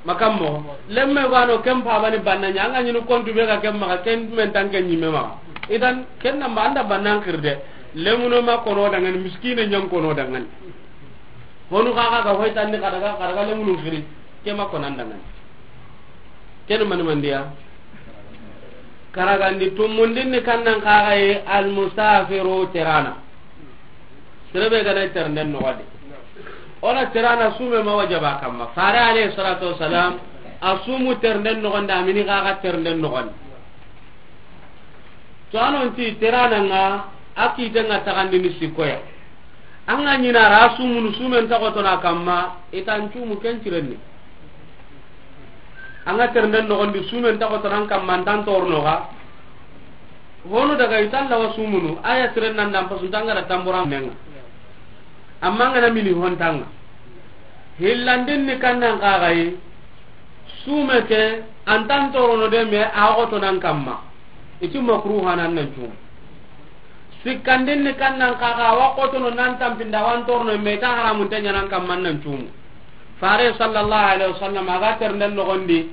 Makammo, le me gano ken pa bani banna nya, anga nyinu kontu be ga ken ma, ken men tanke ɲime ma. Idan, ken nan ba anda bannan kirde. Le muno ma kono dangan, miskine ɲan kono dangan. Honu kaga ga hoy tanni kada ga, kada ga le munun kiri. Ke ma konan dangan. Ken mani mandiya. Karagandi tumundin ni kannan kaxaye almusafiru terana. Serebe gana ternden noxodi. Ona terana sume ma wajaba kamma. Fare alayhi salatu wassalam, a sumu ternden noxondi, amini kaxa ternden noxondi. To anonti terana nga, a kite nga taxandini sikkoya. An ga ɲina ra sumunu sumen taxotona kamma, i tan cumu ken cirenni. An ga ternden noxondi sumen taxotonan kamma, an tan tornoxa. Honu daga i tan lawa sumunu, a ya siren nan dan pasu tangara tambura menga. Amma an ga na mini hontanga. Hillandin ni kannan kaxayi, sume ke, an tan torono de me a xotonan kamma. I ti makruha nan nan cumu. Sikkandin ni kannan kaxa, wa xotono nan tampinda, wan torno me ta haramun te ɲanan kamman nan cumu. Fare sallallahu alaihi wasallam a ga ternden noxondi,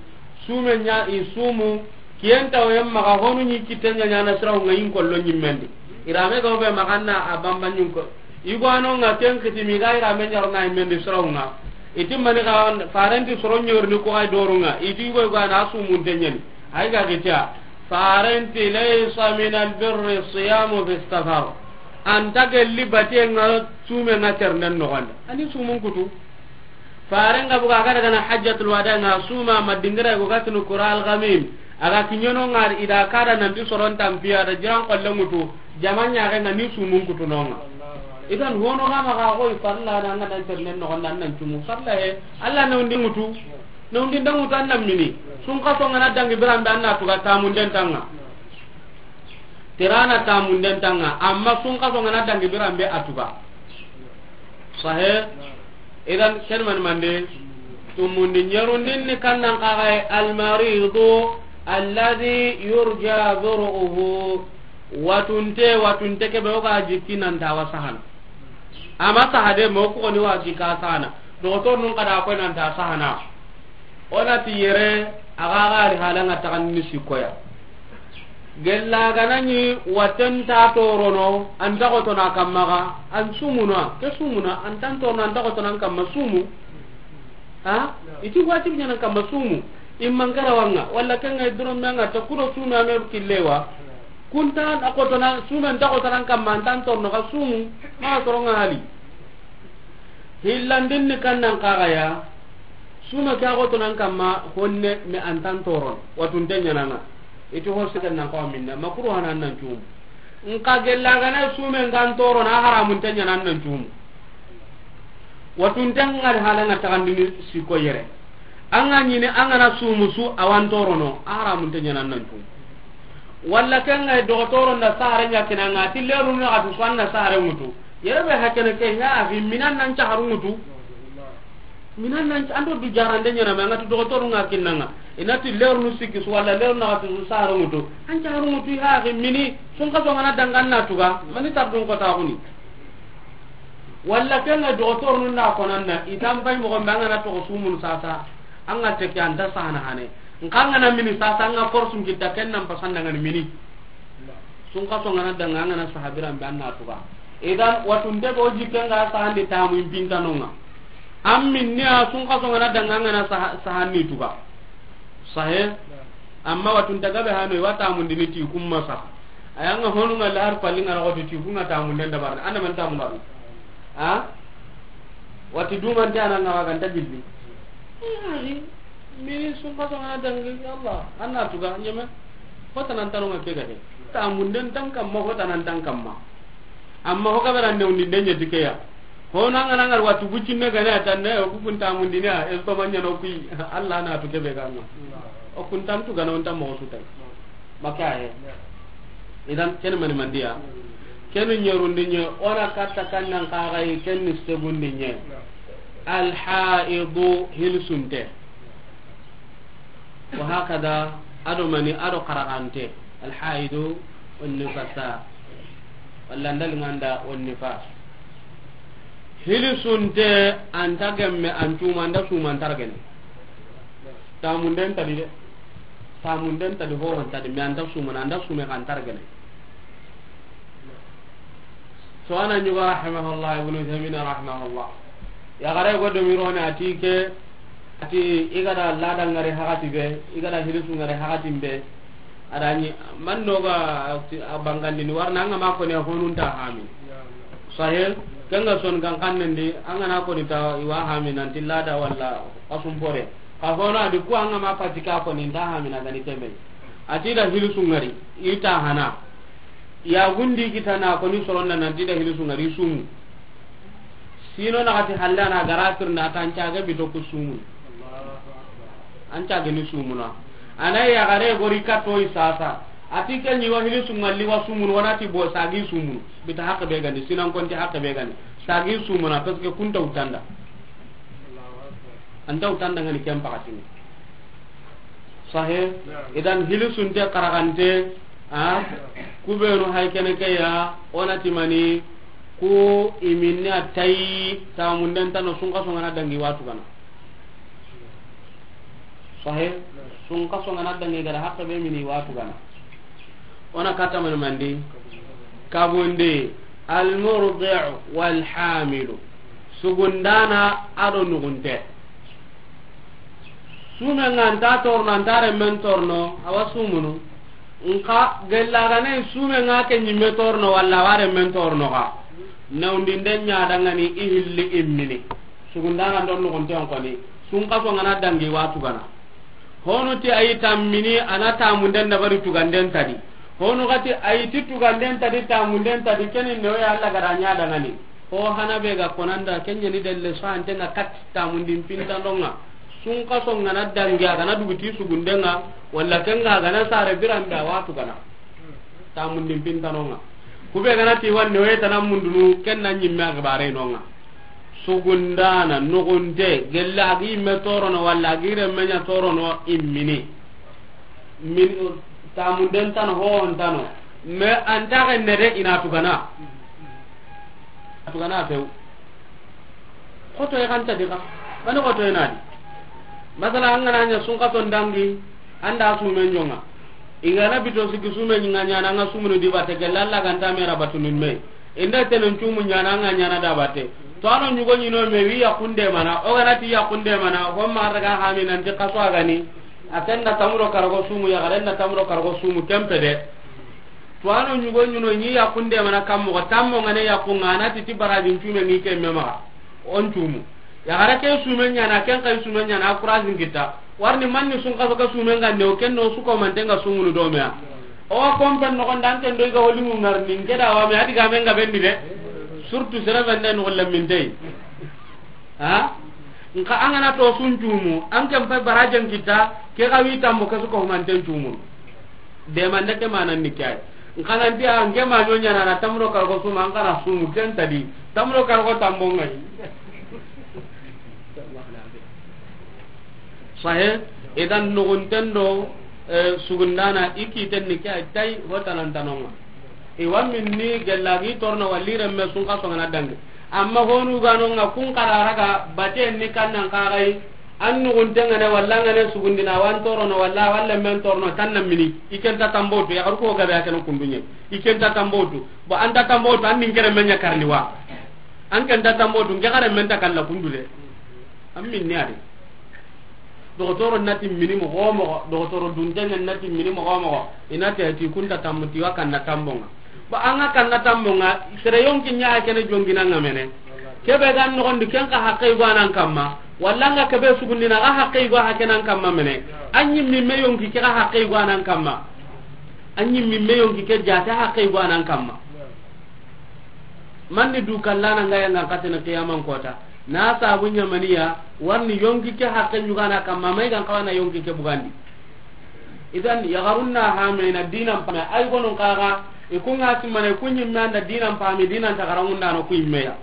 sume ɲa i sumu, kiyen tawoyen maxa honu ɲi kitte ɲa ɲana sirahu nga yin kollo ɲimmendi. Irame ga be maxa na a bamba ɲun ko. Igwano nga ken kitimi ga irame ɲarna ɲimmendi sirahu nga. I ti mani ga farenti soro ɲorni ko ay dorunga. I ti go igwana sumun te ɲani. Ay ga gita. Farenti, laysa min albirri siyamu fi safar. Anta gelli batenga sumenga ternden noxondi. Ani sumun kutu. Farenga buga, a ga daga na hajjatul wada nga suma ma dingira go gatinu kura algamim. A ga kiɲono nga ida kada nanti soron tampiya da jiran kolle ngutu. Jamanya ga nga ni sumun kutu nonga. Idan hono ga ma ga go farla na nga dan ternden noxondi nan cumu farla he. Allah na undi ngutu. Nondin dangu tan nan mini. Sun xaso nga na dangi biran be an na tuga tamunden tanga. Terana tamunden tanga. Amma sun xaso nga na dangi biran be a tuga. Sahe. Idan ken mani mande. Tumundi ɲerundin ni kannan kaxaye almaridu. Alladhi yurja bur'uhu, watunte, watunte ke be o ga jikki nan ta wa sahana. Ama sahade mo ko ni wa jikka sahana. Doktor nun kada ko nan ta sahana. O na ti yere, a ga ga ri hala nga taxan ni sikoya. Gella ga na ni waten ta torono, an ta ko to na kamma ga, an sumuna, ke sumuna, an tan torono, an ta ko to nan kamma sumu. Ha? Iti wajib ɲanan kamma sumu. Imman garawanga, walla kenga doro menga ta kudo sume ame killewa. Kunta a ko to na sume nta ko to nan kamma, an tan torono ga sumu. Ma toro nga hali. Hillandin ni kan nan kaga ya. Sume ke a ko to nan kamma, honne me an tan toron. Watunte ɲananga. Iti ho sigan nan ko minna. Makuru hanan nan cum. Nka gella gana sume ngan torono, a haramunte ɲanan nan cum. Watunte ngari hala nga taxandini siko yere. Anga ɲini anga na sumu su awan torono, a haramunte ɲanan nan cum. Walla kenga doktor nda sahare ɲa kinanga, ti leru na atu swanna sahare mutu. Yere be hakene ke ɲa afi minan nan caharu mutu. Minan nan an do du jarande ɲana ma ngati doktor nga kinnanga. Inati leru nu sikki su walla leru na atu sahare mutu. An caharu mutu ha ke mini. Sun ka so ngana danga an na tuga, mani tardun ko ta kuni. Walla kenga doktor nun na konanna, itan bay mo gombe anga na to sumun sasa, anga teke anta sahana hane. Nkanga na mini sasa, anga force ngitta ken nan pasanda ngani mini. Sun ka so ngana danga anga na sahabiran be an na tuga. Idan watunte be o jikke nga sahandi tamu impintanonga. Am minni a sun ka so ngana danga anga na saha-, sahandi tuga. Sahe. Amma watunta gabe hano, i wa tamundini ti kumma sa. Ayanga honu nga la har palli nga roti ti kunga tamunden da barna. Anda man tamundaru. Ha? Wati duman ti ananga wa ganta gilli. Ari, mini sun ka so ngana dangi, ya Allah, an na tuga, nyeme. Ko tanan tanu nga ke gade. Tamunden tan kamma, ko tanan tan kamma. Amma ho kabara ne undi denye tikeya. Ho na ngana ngar watu bucinne gane atanne, o ku kunta mundini a, esto manya no kui, Allah na tu kebe ganga. O kuntan tu gana onta mo su tay. Maka he. Idan ken mani mandiya. Ken nyerundi nye, ona katta kannan kagai, ken ni segundi nye. Al haidu hilsunte. Wa hakada, ado mani, ado karagante. Al haidu, wan nifasa. Walla ndal nganda wan nifas. Hilisunte, anta gemme, an tuma, anda suma, antar gene. Tamunden tadi de. Tamunden tadi, ho, antadi, me anda suma, anda sume, antar gene. So ana ɲuga rahimahullah, Ibnu Uthaymin rahimahullah. Ya gare go do mirone ati ke, ati igada lada ngare hagati be, igada hilisu ngare hagati be. Adani man noga ti abangandi ni warna anga ma ko ne honun ta hami. Sahel, kanga son kan kannendi, anga na ko ni ta iwa hami nan ti lada walla asum pore. Ka hono adi ku anga ma patika ko ni ta hami na gani tembe. Ati da hilisu ngari, ita hana. Ya gundi kitana ko ni soronda nan ti da hilisu ngari sumu. Sino na kati halla na garatir na tan caga bito ku sumu. An caga ni sumuna. Ana ya gare gori ka toy sasa. Ati ke ni wa hilisu ngalli wa sumun, wana ti bo sagi sumun. Bita hakke be gani, sinan konti hakke be gani. Sagi sumuna, parce que kunta utanda. Anta utanda ngani kem pakatini. Sahe, idan hilisunte karagante, a, kubenu hay kene ke ya, ona timani, ku iminni a tayi, tamunden tano sunka songana dangi watu gana. Sahe, sunka songana dangi gada hakke be mini watu gana. Ona kata mani mandi, kabundi, al murdi'u wal hamilu. Sugundana ado nugunte. Sume nga anta torno, anta remmen torno, awa sumunu. Nka gella gane sume nga ke nyimme torno, walla awa remmen torno ga. Nawndinde nya dangani i hilli immini. Sugundana ndo nugunte on koni. Sunka songana dangi watu gana. Honu ti ayi tammini, ana tamunden dabari tuganden tadi. Honu gati ayi ti tuganden tadi, tamunden tadi, keni newe ya Allah gada nya dangani. Ho hana be ga konanda, kenya ni delle so ante nga kat tamundin pinta ndonga. Sunka songana dangi, agana duguti sugundenga, walla kenga agana sare biranda watu gana. Tamundin pinta ndonga. Kube gana ti wanne we tana mundunu, kenna nyimme agbare nonga. Sugundana, nugunte, gella agi me torono, walla agi remmenya torono, immini. Min tamunden tano, hohon tano. Mais an ta xenne de, i na tugana. A tugana few. Xotoye xanta di xa. Mani xotoye na di. Masala, an ga na ɲa sunxason dangi, an da sumen jonga. I ga na bito sikki sumen ɲi ŋa ɲana, an ga sumunu di batte, gella Alla ga nta mera batunin me. Inda tenen cumu ɲana, an ga ɲana da batte. To ano ɲugo ɲino me wi yaxunde mana, o ga na ti yaxunde mana, ho ma daga hami nanti xaso a gani. A ken da tamuro karago sumu, yaxaren da tamuro karago sumu, kempe de. To ano ɲugo ɲino ɲi yaxunde mana kammo, tammo ngane yaxunga, a na ti ti barajin cume ngi ke me maxa. On cumu. Yaxare ke sumen ɲana, ken kay sumen ɲana, a kurasin kita. Warni manni sunxaso ka sumen ga ne, o ken no su ko manten ga sumunu do me ya. O wa kompen noxon da an ken do i ga holimu ŋarni, nke da wa me a di ga men ga bendi de. Surtout sere bende no lemintey. Ha? Nka an ga na to sun cumu, an ken pay barajen kita, ke ga wi tammo ke su ko manten cumu. De mande ke manan ni kay. Nka nan dia, nke ma ɲo ɲana na tamro kargo suma, an kana sumu ken ta di. Tamro kargo tambo ngai. Sahe, idan nugunten do, eh, sugundana, i kiten ni ke a tay, ho tanan tanonga. I wa minni gellagi torno walli remme sunxaso ngana dangi. Amma honu ganonga kun kararaga, baten ni kannan kagai, an nugunten ngane walla ngane sugundina, wan torono walla, walla men torono, tanna mini, i ken ta tambotu, yaxaru ko gabe a ken kundunye. I ken ta tambotu, bo an ta tambotu, an nin kere menya karni wa. An ken ta tambotu, nke xare men ta kalla kundu de. An minni a di. Dogotoro na ti mini moxo moxo, dogotoro duntengen na ti mini moxo moxo, i na ti a ti kun ta tammu ti wa kanna tambonga. Ba an ga kanna tambonga, sere yonki ɲa a kene jonginanga mene. Kebe ga noxondi ken xa haqqe go anan kamma, walla an ga kebe sugundina xa haqqe go a kenan kamma mene. An ɲimmi me yonki ke xa haqqe go anan kamma. An ɲimmi me yonki ke jate haqqe go anan kamma. Manni du kallana nga yanga katene qiyaman kota. Na sabu ɲamaniya, warni yonki ke haqqe ɲugana kamma, may gan kawana yonki ke bugandi. Idan, yaxarun na hamena dinan pame, ay gonun kaga, i kunga simana, i kunyi manda dinan pame, dinan tagarangun dano kuyi meya.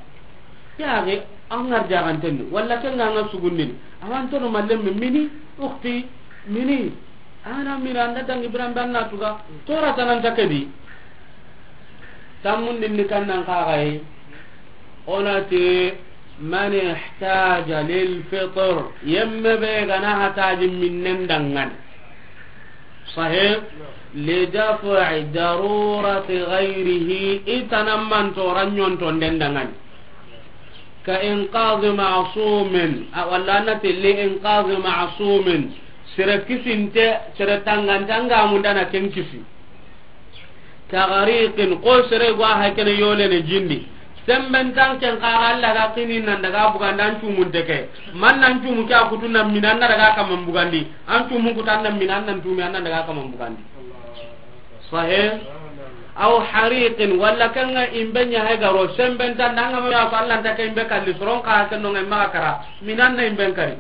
Yaxe, an ŋar jaxantenni, walla ke nga nga sugundini. Awantono mallemme mini, uxti, mini. Ana mini, anda dangi biran banna tuga. Tora tananta kedi. Tammundin ni kannan kaxaye. Onati, man ihtaja lil fitr. Yemme be gana hataji minnen dangani. Sahih. Li daf'i darurati ghayrihi. Itana mantora ɲontonden dangani. Ka inqadhi ma'sumin, a, walla a na ti li inqadhi ma'sumin, sere kisinte, sere tangante, an ga mundana ken kisi. Ka ghariqin, ko sere go a hakene yolene jindi. Semben tan ken xara Alla ga kini nan daga bugandi an cumunte ke. Man nan cumu ke a kutu nan mina an na daga kaman bugandi. An cumu kutu an nan mina an nan tumi an nan daga kaman bugandi. Sahih. Aw hariqin, walla kenga imbe ɲa he garo, semben tan danga ma ya Allah ta ke imbe kalli soron ka ken no ngai ma kara, minan na imben kari.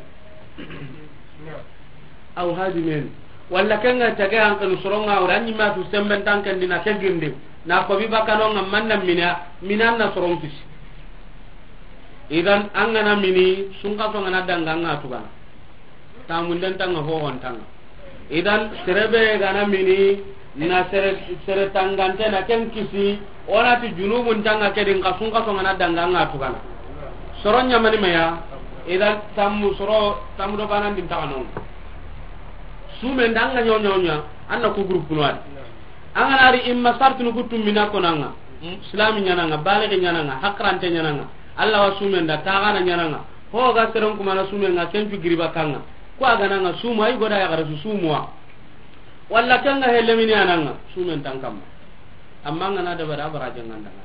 Aw hadimin, walla kenga tage an kan soron nga wala ni ma tu semben tan kan dina ke gindi, na ko bi bakano nga manna mina, minan na soron kisi. Idan an gana mini, sun ka so ngana danga nga tugana. Tamunden tanga, hohon tanga. Idan, sere be gana mini, na sere, sere tangante na ken kisi, o na ti junubun tanga ke di, nka sun ka so ngana danga nga tugana. Soro ɲamani meya, idan, tammu soro, tammu do banan din taga non. Sumen danga ɲo ɲo ɲa, an na ku groupe no adi. An gana ri imma sartunu ku tummina konanga, islami ɲananga, baligi ɲananga, hakrante ɲananga, Allah wa sumen da, tagana ɲananga. Ho ga seren kuma na sumen nga kencu giriba kanga. Ko a gana nga sumu ay goda ya gara su sumuwa. Walla kanga he lemini ananga sumen tan kamma. Amma nga na da bara bara janganda nga.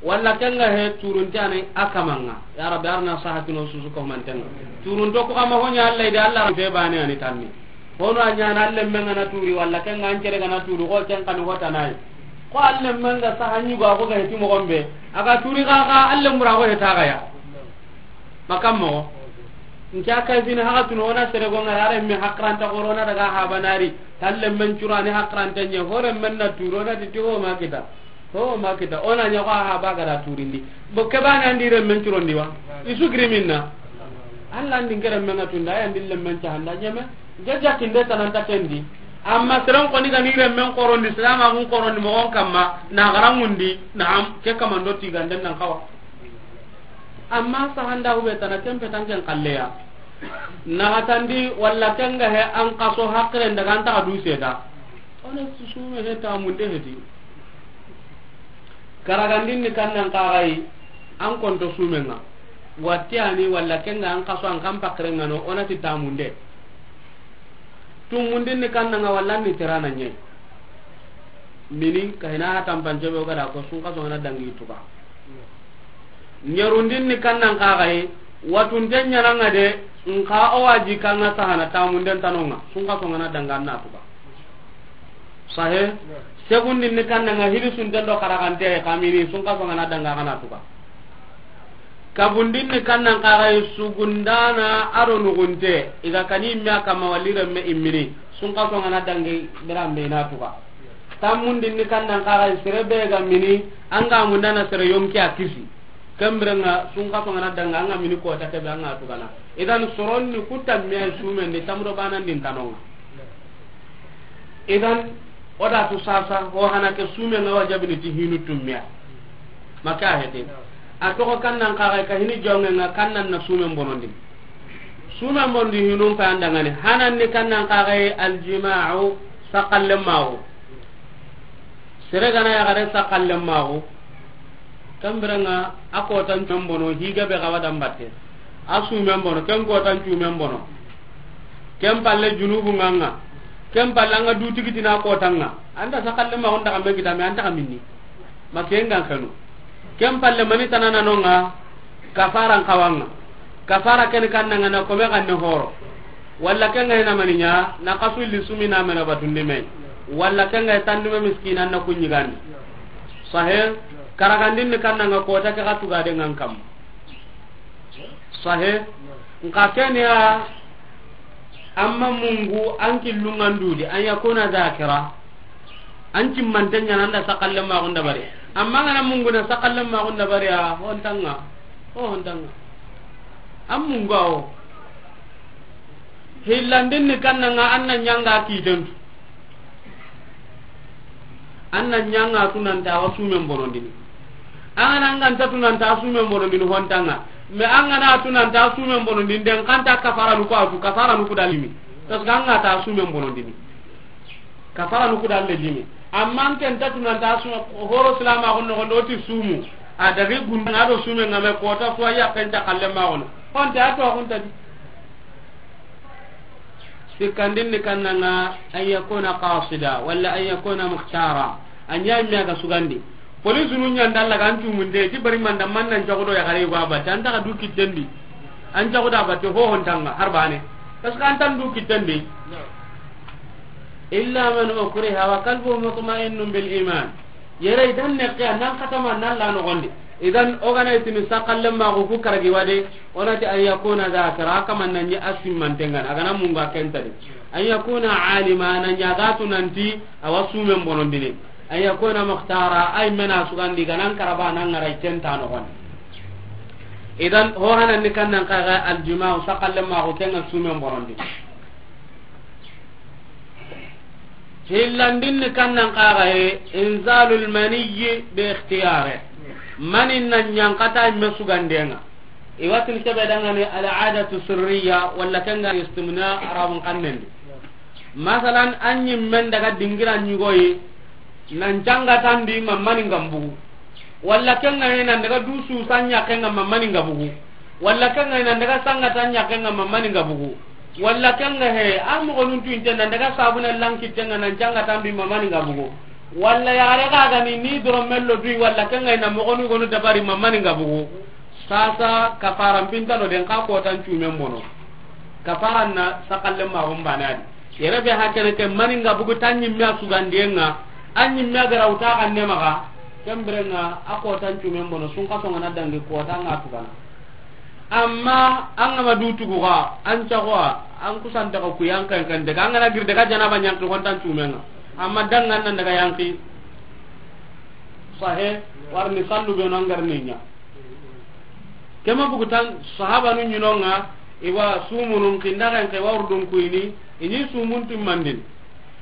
Walla kanga he turunti anai akamanga. Ya Rabbi, arna sahatino susu ko mantenga. Turunto ko kama honya Allah ide Allah be bane ani tanni. Hono a ɲana an lemmen ga na turi, walla ken ga an kere ga na turi, ko ken kani hotanayi. Ko an lemmen ga saha ɲi go, a ko ga heti moxon be. A ga turi xa xa, an lemmura ko heta ga ya. Makam moxo. Nke a kay fini haxa tunu, o na sere go ŋara, a renme hakranta xoro na daga habanari. Tan lemmen curani hakranta ɲe, ho renmen na turi, o na ti ti ho ma kita. Ho ma kita, o na ɲa ko a haba ga da turindi. Bo ke bane an di renmen curondi wa? I su giri minna. Allah an di nke renmen ŋa tunda, ay an di lemmen cahanda ɲeme. Nke jakinde tananta kendi. Amma seren xoni ga ni renmen xorondi, silaamaxun xorondi moxon kamma, na garanŋundi, naam, ke kamando tiganden nan xawa. Amma sahanda hube tana kempe tanken xalleya. Naxatandi walla kenga he an xaso haqiren daga an taxa du seda. Ona sume he tamunde heti. Karagandin ni kannan kaxayi, an konto sumenga. Wattiyani walla kenga an xaso an kan pakirenga no, onati tamunde. Tumundin ni kannanga walla ni terana ñayi. Mini kahina ha tampance be o gada ko sun xaso ngana dangi tuka. Ñerundin ni kannan kaxayi, watunte ñananga de, nka o waji kanga sahana tamunden tanonga, sun xaso ngana danga na tuka. Sahe. Segundin ni kannanga hili sunten do karagante kamini sun xaso ngana danga kana tuka. Kabundin ni kannan kaxayi sugundana aro nugunte, iga kani imme a kamma walli remme immini, sun xaso ngana dangi birambe ina tuka. Tammundin ni kannan kaxayi sere be ga mini, anga mundana sere yonki a kisi. Kembirenga sun xaso ngana danga anga mini kota kebe anga tugana. Idan soronni kutammiya sumen de tamro banan din tanonga. Idan, o da tu sasa, ho hana ke sume nga wajabini ti hinu tummiya. Maka hete. A toxo kannan kaxayi ka hini jonge nga kannan na sumen bonondi. Sumen bonondi hinun pa andangani. Hanan ni kannan kaxayi aljima'u sakallen mawo. Sere gana yaxare sakallen mawo. Kembirenga a kotan cumen bono, higa be xawa dambatte. A sumen bono, ken kotan cumen bono. Ken palle junubu nganga. Ken palle anga du tigitina kotanga. Anta sakalle ma onda kambe kitame anta kaminni. Ma ken gan kanu. Ken palle mani tanana nonga kafaran kawanga. Kafara ken kannanga na kome ganne horo. Walla ken ga ina maninya na kasulli sumi na mena batundi me. Walla ken ga tandume miskinan na kunyigandi. Sahe, karagandin ni kannanga kota ke ga tuga de ngan kam. Sahe, nka kenya amma mungu an killungandudi an yakuna zakira. An cimmante ñana anda sakalle maxun dabari. Amma ngana mungu na sakalle maxun dabari a hontanga. O hontanga. An mungu awo. Hillandin ni kannanga an na ñanga kitentu. An na ñanga tunanta wa sumen bonondini. An gana an ganta tunanta sumen bonondini hontanga. Mais an gana tunanta sumen bonondini den kanta kafara nuku atu kafara nuku dalimi. Parce que an ga ta sumen bonondini. Kafara nuku dalle dimi. Amma an ken ta tunanta sumen horo silama gon no gon do ti sumu. A dagi gunda do sumen ngame kota fo ya ken ta kalle ma gon. Honte ato honta di. Sikkandin ni kannanga an yakuna qasida walla an yakuna mukhtara. An ya mi aga sugandi. Police nu ñanda Allah kan tumunde ti bari manda man nan jago do ya gare ba ba tan ta du kitten di. An jago da ba te ho hontanga har bane. Parce que an tan du kitten di. Illa man ukriha wa qalbuhu mutma'innun bil iman. Yere idan ne ke nan katama nan la no gonde. Idan o gana itini sakalle ma ko ku karagi wade, onati an yakuna zakira kaman nan ya asimman tengan agana munga kentadi. An yakuna alima nan ya gatu nanti awa sumen bonondini. An yakuna mukhtara ay mena sugandi ganan karaba nan ngara kenta no gonde. Idan ho hanan ni kannan kaga aljima'u sakalle ma ko kenga sumen bonondi. Hillandin ni kannan kaga he inzalul maniyyi bi ikhtiyare. Mani nan ñankata me sugandenga. Iwatin kebe dangane al'adatu sirriya walla kenga istimna arabun kannendi. Masalan an ñimmen daga dingira ñugoyi nan cangatandi ma mani ngambugu. Walla kenga he nan daga du susa ñakenga ma mani ngabugu. Walla kenga he nan daga sangata ñakenga ma mani ngabugu. Walla kenga he a mogonun tuinte nan daga sabuna lankittenga nan cangatandi ma mani ngabugu. Walla yare gagani ni doro mello dui walla kenga he na mogonu gonu dabari ma mani ngabugu. Sasa kafaran pintano den ka kotan cumen bono. Kafaran na sakalle ma gon banadi. Yere be hakene ke mani ngabugu tan ñimme a sugandiyenga. An ñimme a gara wuta kanne maga. Kembirenga a kotan cumen bono sun kaso ngana dangi kota nga tugana. Amma an gama du tuguga an cagoa an kusanta ko kuyan kan kan daga an gana gir daga janaba ñanki hontan cumenga. Amma dangan nan daga yanki. Sahe warni sallu be no ngarni ña. Kema bugutan sahabanu ñinonga iwa sumunun kindaxen ke wawrudun kuyini. Ini sumun timmandin.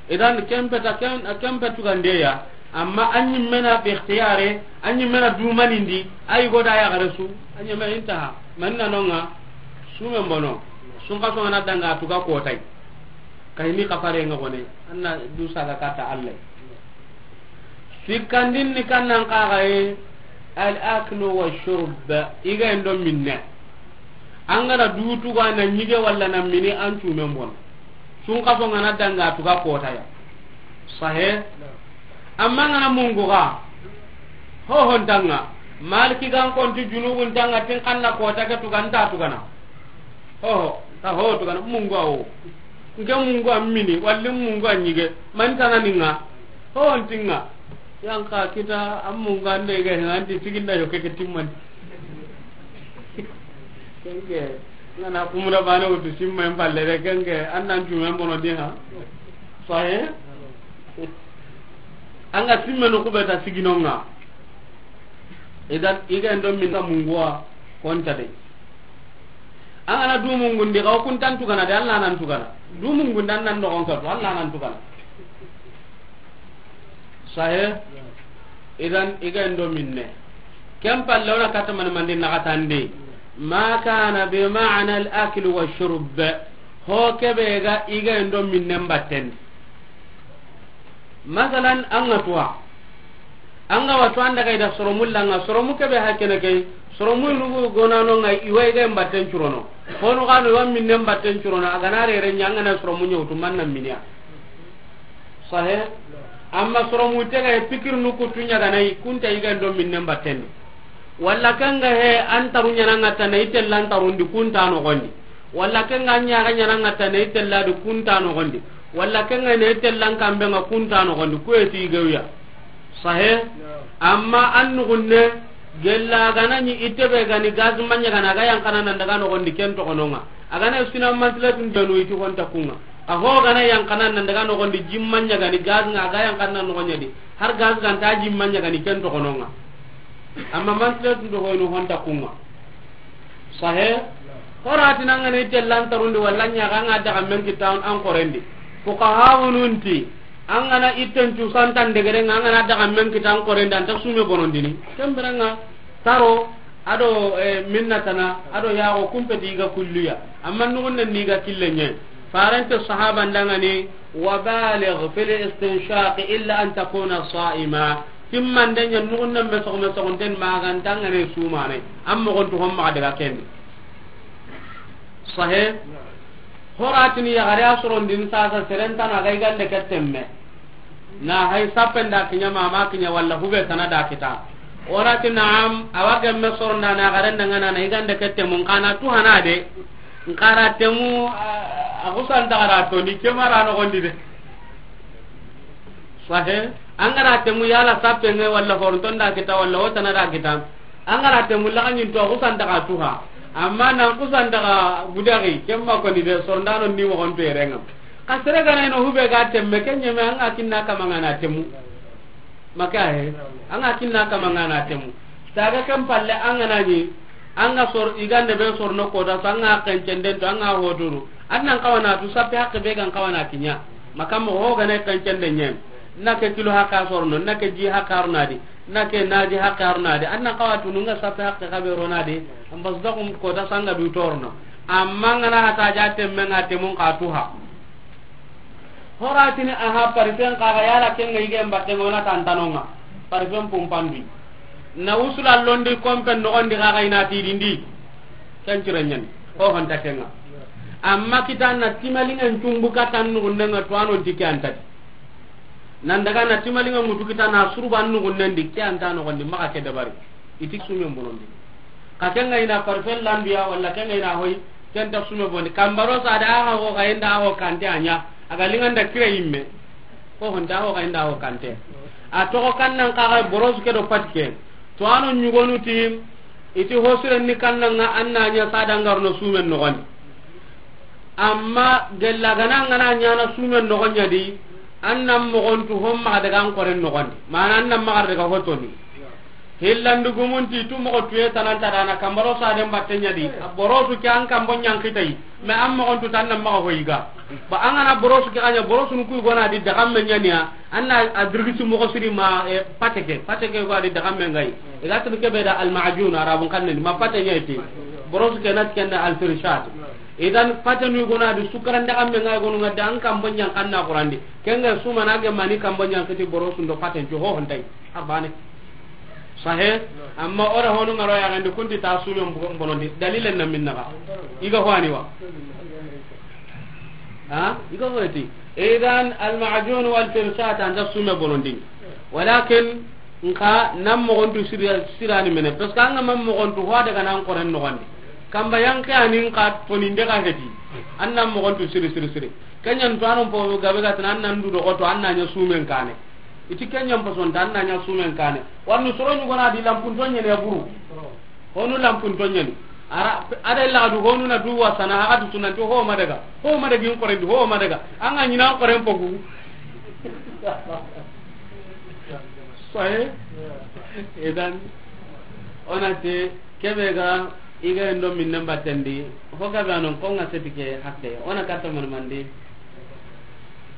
Idan kempeta ken, kempetu gandeya. Amma anyi mena bi ikhtiyare, anyi mena dumanindi, ay goda ya garesu, anyi mena intaha. Manna nonga, sumen bono, sun kaso ngana danga tuga kotai. Kayni kafare nga gone, anna dusa ga kata Allah. Sikkandin ni kannan kaxaye, al aklu wa shurb, iga endo minne. An gana dutu ga na nyige walla na mini an cumen bon. Sun kaso ngana danga tuga kotaya. Sahe. Amma ngana mungu ga, ho hontanga. Maliki gan konti junubun tanga tin kanna kota ke tuga nta tugana. Ho ho, ta ho tugana mungu awo. Nke mungu a mini, walli mungu a nyige. Man tana ninga. Ho hontinga. Yanka kita a mungu ande ga hinga anti siginda yo keke timman. Kenge, ngana kumura bane wutu simma en palle de kenge, annan jumen bono di ha. Sahe? Anga simme no kubeta siginonga. Idan, iga endo minna mungu a konta de. An gana du mungundi, xa o kuntan tugana de, Allah nan tugana. Du mungundi an nan dogon katu, Allah nan tugana. Sahe? Idan, iga endo minne. Ken palle wona kata man mandi naxatandi. Ma kana bi ma'na al akli wa shurb. Ho kebe ga iga endo minne mbatten. Masalan, an ga tuwa. An ga watu an daga ida soromu langa, soromu kebe hakene kay, soromu nugu gonano nga iwa iga mbatten curono. Honu gano iwa minne mbatten curono, agana rere nya ngana soromu nyawtu manna minya. Sahe? Amma soromu tega e pikir nuku tunya ganai, kunta iga ndo minne mbatten. Walla kanga he an taru nyana ngata na itella an tarundi kunta no gondi. Walla kenga ɲaga ɲana ŋa ta ne tella di kunta no gondi. Walla kenga ne tella kambe nga kunta no gondi. Kuye ti geuya. Sahe. Amma an nugunne gella ganani itebe gani gaz manya gana ga yankana nan daga no gondi ken to kononga. Agana sina mantilatun danu iti honta kunga. A ho gana yankana nan daga no gondi jim manya gani gaz nga ga yankana no gondi. Har gaz ganta jim manya gani ken to kononga. Amma mantilatun do hoyno honta kunga. Sahe. Horatina ngana itellan tarundi walla ɲaga nga daga men kita an korendi. Fuqahawununti, an gana itten cusantan degere nga an gana daga men kita an korendi anta sume bonondini. Kemberenga taro ado, eh, minnatana ado yago kumpeti ga kulliya. Amma nugunne ni ga kille ɲe. Farante sahaba ndangani, wa baligh fil istinshaq illa an takuna sa'ima. Timmande ɲa nugunne me sogo me sogonten magantangane sumane. An mogontu hon maga daga kendi. Sahe. Horatini yagare a sorondini sasa serentana ga igande ke temme. Na hay sappenda kiɲa mama kiɲa walla hube tana da kita. Orati naam, awa gemme soronda na yagare ndangana na igande ke temmun kana tu hana de. Nkara temu, a, a kusan dagara to ni kemara no gondi de. Sahe, angara temu yala sappe nge walla horonton da kita walla wotana da kita. Angara temu laganyin to kusan daga tuha. Amma nan kusan daga budari kemma ko ni de sorndano ni mo gonto erenga. Ka sere gana ino hube ga temme kenye me anga kinna kamanga na temu. Maka he, anga kinna kamanga na temu. Saga kan palle anga nani, anga sor, igande be sorno kota, so anga kencenden to, anga hoturu. Annan kawana tu sappe hakke be gan kawana kinya. Maka mo ho gane kencenden nyen. Na ke kilo haka sorno, na ke ji haka arnadi, na ke naji haka arnadi. Annan kawatu nunga sappe hakke kabe ronadi. Ambas dakum kota sanga du torno. Amma ngana hata ja temme nga temun ka tuha. Horatini aha parifen kaga yala kenga ige mbatte ngona tantanonga. Parifen pumpandi. Na usula londi kompen nogondi kaga ina tidindi. Ken cirenyen. Ho honta kenga. Amma kita na timalingen cumbu katan nugunnenga tuwanon ti ke antati. Nan daga na timalinga mutu kita na suruba nugunnen di ke anta nogondi maka ke dabari. Iti sumen bonondi. Ka kenga ina parfum landuya walla kenga ina hoy, kenta sume boni. Kambaro sa da aga ho ga inda ho kante anya. Aga linganda kira imme. Ko honda ho ga inda ho kante. A to ko kannan kaga boros ke do patke. To ano nyugonu ti iti hosire ni kannanga anna nya sa dangarno sumen nogondi. Amma gella gana ngana nyana sumen nogonya di. Annan mogontu homma daga an koren nogondi. Mana annan magar daga hotoni. Hillandu gumunti tu moxo tuye tananta dana kambaro sa den batte ɲa di. Borosu ke an kambo ɲankitayi. Mais an moxon tu tan na maxa hoyiga. Ba an gana borosu ke anya borosu nu kuy gona di dagamme ɲaniya. Anna adrigisi moxo siri ma, eh, pateke. Pateke go adi dagamme ngai. Iga tun kebe da al ma'jun arabun kanne ma pate ɲa iti. Borosu ke nat kenna al firshat. Idan pate nu gona di sukaran dagamme ngai gonu ngada an kambo ɲan kanna qurandi. Kenga suma na ge mani kambo ɲankiti borosu ndo pate ncu ho hontai. Abane. Sahe, amma ora honu ngaro ya gandi kunti ta sumen bu-, bonondi. Dalilen na minna ba. Iga hwani wa. Ha? Iga hwati. Idan al ma'jun wal firshat anda sume bonondi. Walakin nka nan moxon tu sira-, sirani mene. Parce que an ga man moxon tu hwa daga nan koren no gandi. Kamba yanke anin ka toninde ga heti. An nan moxon tu siri, siri, siri. Kenyan to anon po gabe ga tan an nan du do to an nan ɲa sumen kane. Iti kenyan pason tan na ɲa sumen kane. Warni soro ɲugona di lampun to ɲene buru. Honu lampun to ɲene. Ara, ada illa du honu na du wasana, aga du sunan to ho madaga. Ho madaga in koren du, ho madaga. An ga ɲina koren pogu. Sahe? Idan, ona te, kebe ga, iga ndo minne batendi. Ho gabe anon ko nga setike hakke. Ona katta man mandi.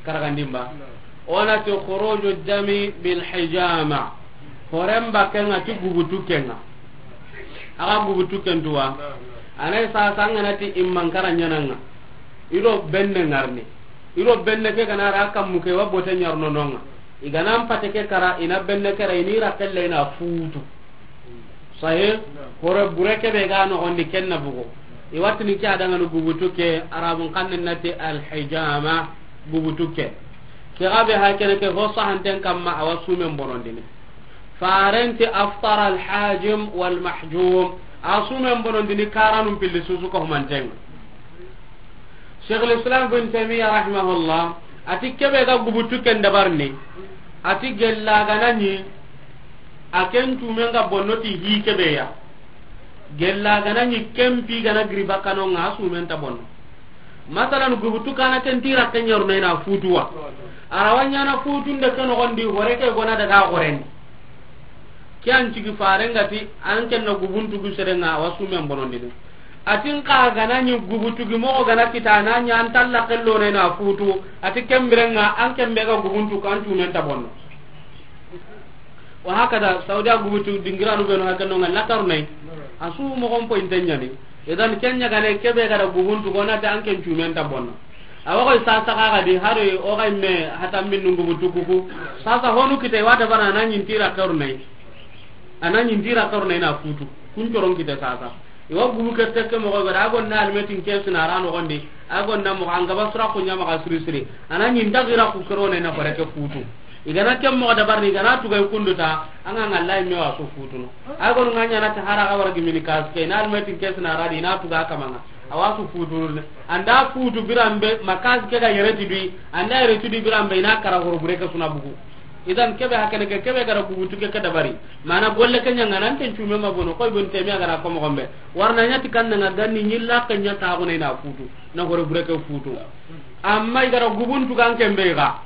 Karagandimba. Ona ti khuruju dami bil hijama. Horen bakenga ti gubutu kenga. Aga gubutu kentuwa. Anai sa sangana ti imman kara ɲananga. Ido benne ngarni. Ido benne ke kana ra kammu ke wa bote ɲarno nonga. Igana mpate ke kara ina benne kara ini ra kelle ina futu. Sahe, hore bure kebe ga noxondi kenna bugu. I watini ke adangani gubutu ke, arabun kanne nati alhijama, gubutu ke. Ke gabe ha kene ke ho sahanten kamma awa sumen bonondini. Farenti aftara alhajim walmahjum. A sumen bonondini karanun pilli susu ko humantenga. Sheikhul Islam bin Taymiyyah rahimahullah, ati kebe ga gubutu ken dabarni, ati gella gana ni, a ken tumen ga bonno ti hi kebe ya. Gella gana ni kempi gana giri bakano nga sumen ta bonno. Masalan gubutu kana ken tira ken yorno ina futuwa. Arawanya na futun de ken gondi hore ke gona daga goren. Ke an cigi farengati an kenna gubuntugu serenga awa sumen bonondini. Atin ka gana ɲi gubutugi moxo gana kita na ɲi an talla kello ne na futu. Ati kembirenga an kembe ga gubuntu kan tunen ta bonno. Wa hakada saudiya gubutu dingiranu beno hakenno nga latar nay. Asu moxon po intenɲani. Idan kenya gane kebe ga da gubuntu gona ta an ken tunen ta bonno. Awa koy sasa kaga di haro o ga me hata min nungu butukuku. Sasa honu kite wata bana na ɲin tira karnai. Ana ɲin tira karnai na futu. Kun coron kite sasa. Iwa gubu ke tekke mo ga da gon na almetin kesu na rano gondi. Agon na mo an gaba sura kunya ma siri siri. Ana ɲin ta gira ku karo ne na barake futu. Igana kem mo da barni igana tuga kunduta. Anga ngallahi me wa so futuno. Agon nganya na ta hara ga wargi mini kas ke na almetin kesu na radi na tuga kamanga. Awa su futu ne. Anda futu birambe, makasi ke ga yere ti dui, anda yere ti dui birambe, ina kara horo bure ke suna bugu. Idan kebe hakene ke, kebe gara gubutu ke, ke dabari. Mana golle ke ɲanga nan ken cume ma bono, koy bon temi agara ko mo gombe. Warna ɲati kan nga ganni ɲilla ke ɲata ko ina futu, na horo bure ke futu. Amma igara gubuntu kan kembe ga,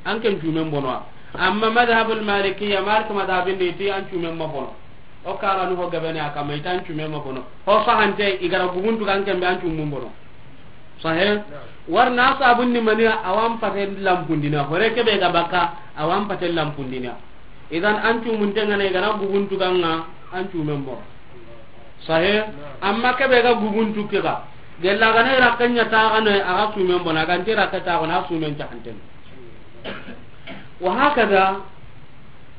an ken cume bono. Amma madhhabul malikiyya, Malik madhhabin de ti an cume ma bono. O karanu ho gabene a kama itan cume ma bono. Ho fahante igara guguntu kan kembe an cumun bono. Sahe? Warna sabun ni mani awan paten lampundina. Hore kebe ga baka awan paten lampundina. Idan an cumun tengana igara guguntu ganga an cumen bono. Sahe? Amma kebe ga guguntu kega. Gella gana ira kanya ta gana aga cumen bono. Aga ntira ka ta gana sumen cahanten. Wa hakada,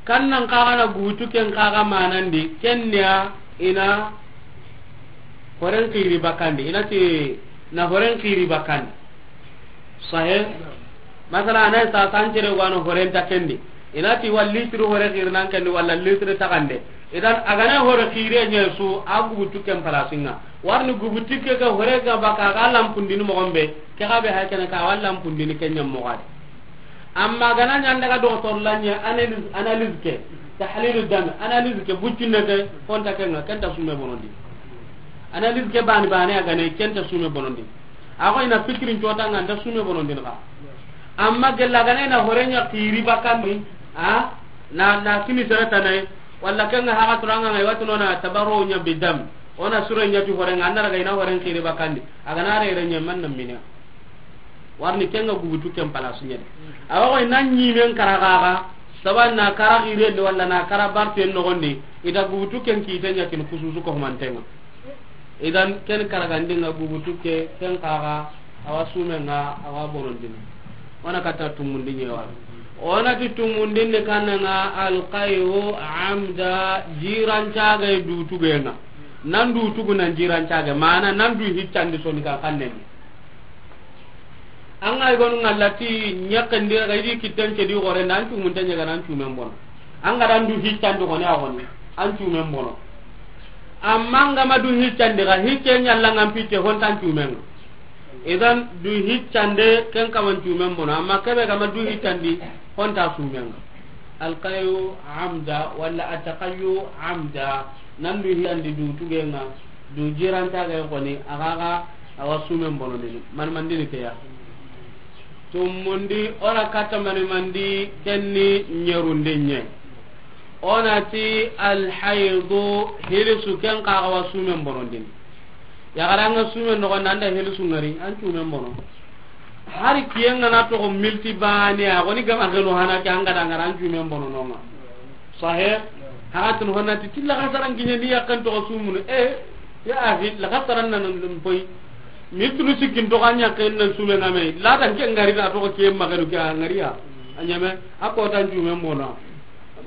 kan nan kaga na gutu ken kaga manandi, ken niya ina horen kiri bakandi, ina ti na horen kiri bakandi. Sahe? Masala, ana sa sancere wano horen ta kendi. Ina ti wal litri hore kiri nan kendi, wala litri takande. Idan, agana hore kiri nya su, a gutu ken palasinga. Warni gubutu ke ga hore ga baka ga lampundini mo gombe, ke ga be hakene ka wal lampundini kenya mo gadi. Amma gana ɲa an daga docteur la ɲa analyse, analyse ke, tahlilu dam, analyse ke, buccinne ke, konta ke nga, kenta sume bonondi. Analyse ke bani bani a gane, kenta sume bonondi. A ko ina fikirin cota nga, nta sume bonondi nga. Amma gella gane na hore ɲa kiri bakandi, a, na, na kini sere tanai, Walla ken ŋa haxa turanga ngai watu nona tabarru nya bidam. Ona sure nya tu horenga, an na raga i na horen xiri bakandi. A ga na rere ɲa man na mine. Warni ken ŋa gubutu ken palasu ɲa de. Awa ko i na ɲimen kara gaga, saban na kara xirende walla na kara barten noxondi, i da gubutu ken kite ɲa kin kususu ko mantenga. Idan ken karagandinga gubutu ke, ken kaga awa sumenga awa bonondini. Ona kata tumundi ɲewa. Ona ti tumundin ni kannanga alqayu amda, jirancaga dutugenga. Nan dutugu nan jirancaga, mana nan du hiccandi soni ka kanneni. An ga i gonu ngalla ti ɲakkandi ga idi kitten ke di gore, nan cumunte ɲaga nan cumen bono. An ga dan du hiccandi goni a goni, an cumen bono. Amma an ga ma du hiccandi ga, hicce ɲalla ngan pitte hontan cumen. Idan du hiccande ken kaman cumen bono, amma kebe ga ma du hiccandi honta sumen. Alqayu amda wala ataqayu amda. Nan du hiyandi du tugenga, du jiranta ga koni, agaga awa sumen bonondini. Man mandini ke ya. Tumundi ora kata mani mandi kenni ɲerundi ɲe. Onati alhaydu, hilisu ken kaga awa sumen bonondini. Yagaranga sumen nogo nanda hilisu ngari, an cumen bono. Hari kiyen ngana toxo milti bane, a goni gama gelo hana ke an ga da ngara an cumen bono nonga. Sahe, haratun honna ti tilla xasaran kiɲe ni yakkan toxo sumunu. E, ya axi, la xasaran nan poy. Mitunu sikkin toxo an yakkan nan sumen ngame. La dan ke ngari na toxo kiyen maganu ke a ngariya. A ɲame, a kotan cumen bono.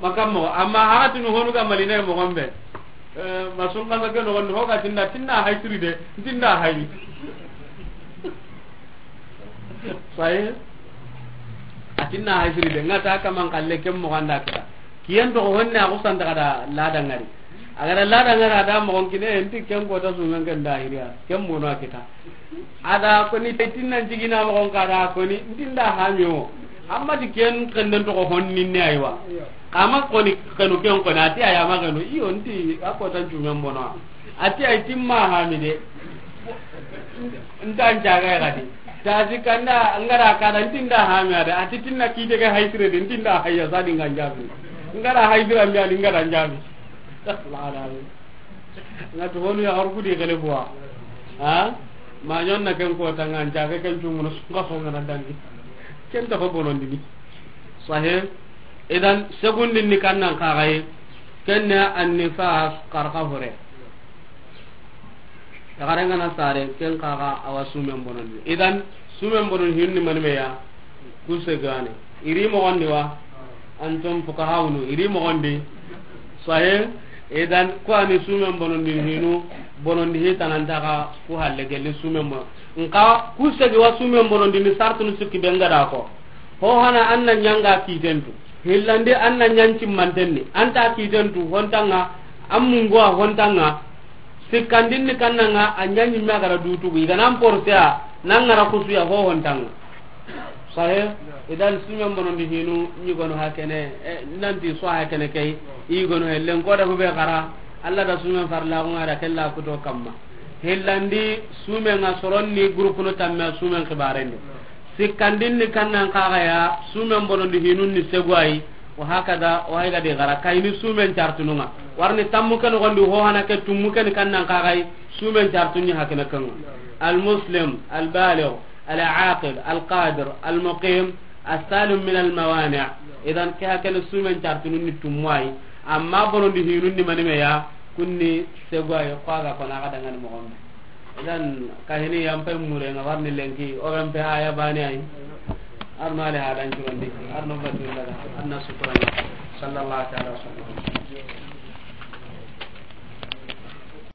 Makammo, amma haratun honu ga maline moxon be. Eh, ma sun kasa ke noxondi, hoga tinda, tinda hay siri de, tinda hay. Saye? A tinda hay siri de, ngata kaman kalle kem mo ganda kita. Kiyen to honne a kusanta kada lada ngari. Agara lada ngari ada mo kine, enti ken kota sumen ken da hiriya, kem mo no kita. Ada koni te tinna jigina mo kon kada koni, tinda hamio. Amma di ken kenden to honni ne aywa. Kama koni kenu ken koni, ati aya ma kenu, iyo nti a kotan cumen bono. Ati ay timma hami de. Ntan jaga ya gadi. Tasi kanda ngara kada ntinda hami ada. Ati tinna kite ke hay sire de, ntinda hayya sadi ngan jabi. Ngara hay sire ambi ali ngara jabi. La la. Ngatu honu ya arku di gele bwa. Ha? Ma ɲonna ken kota ngan jaga ken cumen no sunga songa na dangi. Ken ta ko bonondini. Sahe. Idan segundin ni kannan kagaye, kenne annifas, karka hore. Yagare ngana sare, ken kaga awa sumen bonondi. Idan sumen bonon hinni manime ya, kuse gane. Iri mogondi wa, antum fukahawunu, iri mogondi. Sahe, idan ko ani sumen bonondi hinu, bonondi hitananta ka ku halle gelli sumen bono. Nka kuse gi wa sumen bonondi ni sartunu sikki bengada ko. Ho hana an na ɲanga kitentu. Hillandi an na ɲan cimmantenni. An ta kitentu hontanga, an mungu a hontanga. Sikkandinni kannanga, a ɲa ɲimme a gara dutugu. I ga nan porse a, nan gara kusuya ho hontanga. Sahe, idan sumen bonondi hinu, ɲigono hakene, eh, nanti so hakene kay, i gono hellen koda hube gara, Allah da sumen farla ko ngara kella kuto kamma. Hillandi sumen nga soronni groupe no tamme sumen xibarendi. Sikkandinni kannan kaga ya, sumen bonondi hinun ni seguwayi, wa hakada, wa haygadi gara, kayni sumen cartununga. Warni tammu ke nogondi ho hana ke tummu ke ni kannan kaga yi, sumen cartunni hakene kanga. Al muslim, al baligh, al aqil, al qadir, al muqim, as salim min al mawani'. Idan ke hakene sumen cartunun ni tummu ayi. Amma bonondi hinun ni manime ya, kunni seguwayi, ko aga kona aga dangani mogombe. Idan kahini yampe mure nga warni lenki, o yampe aya bani ay. Arno ale hadan curondi, arno batu daga, arna sukurani. Sallallahu ta'ala wa sallam.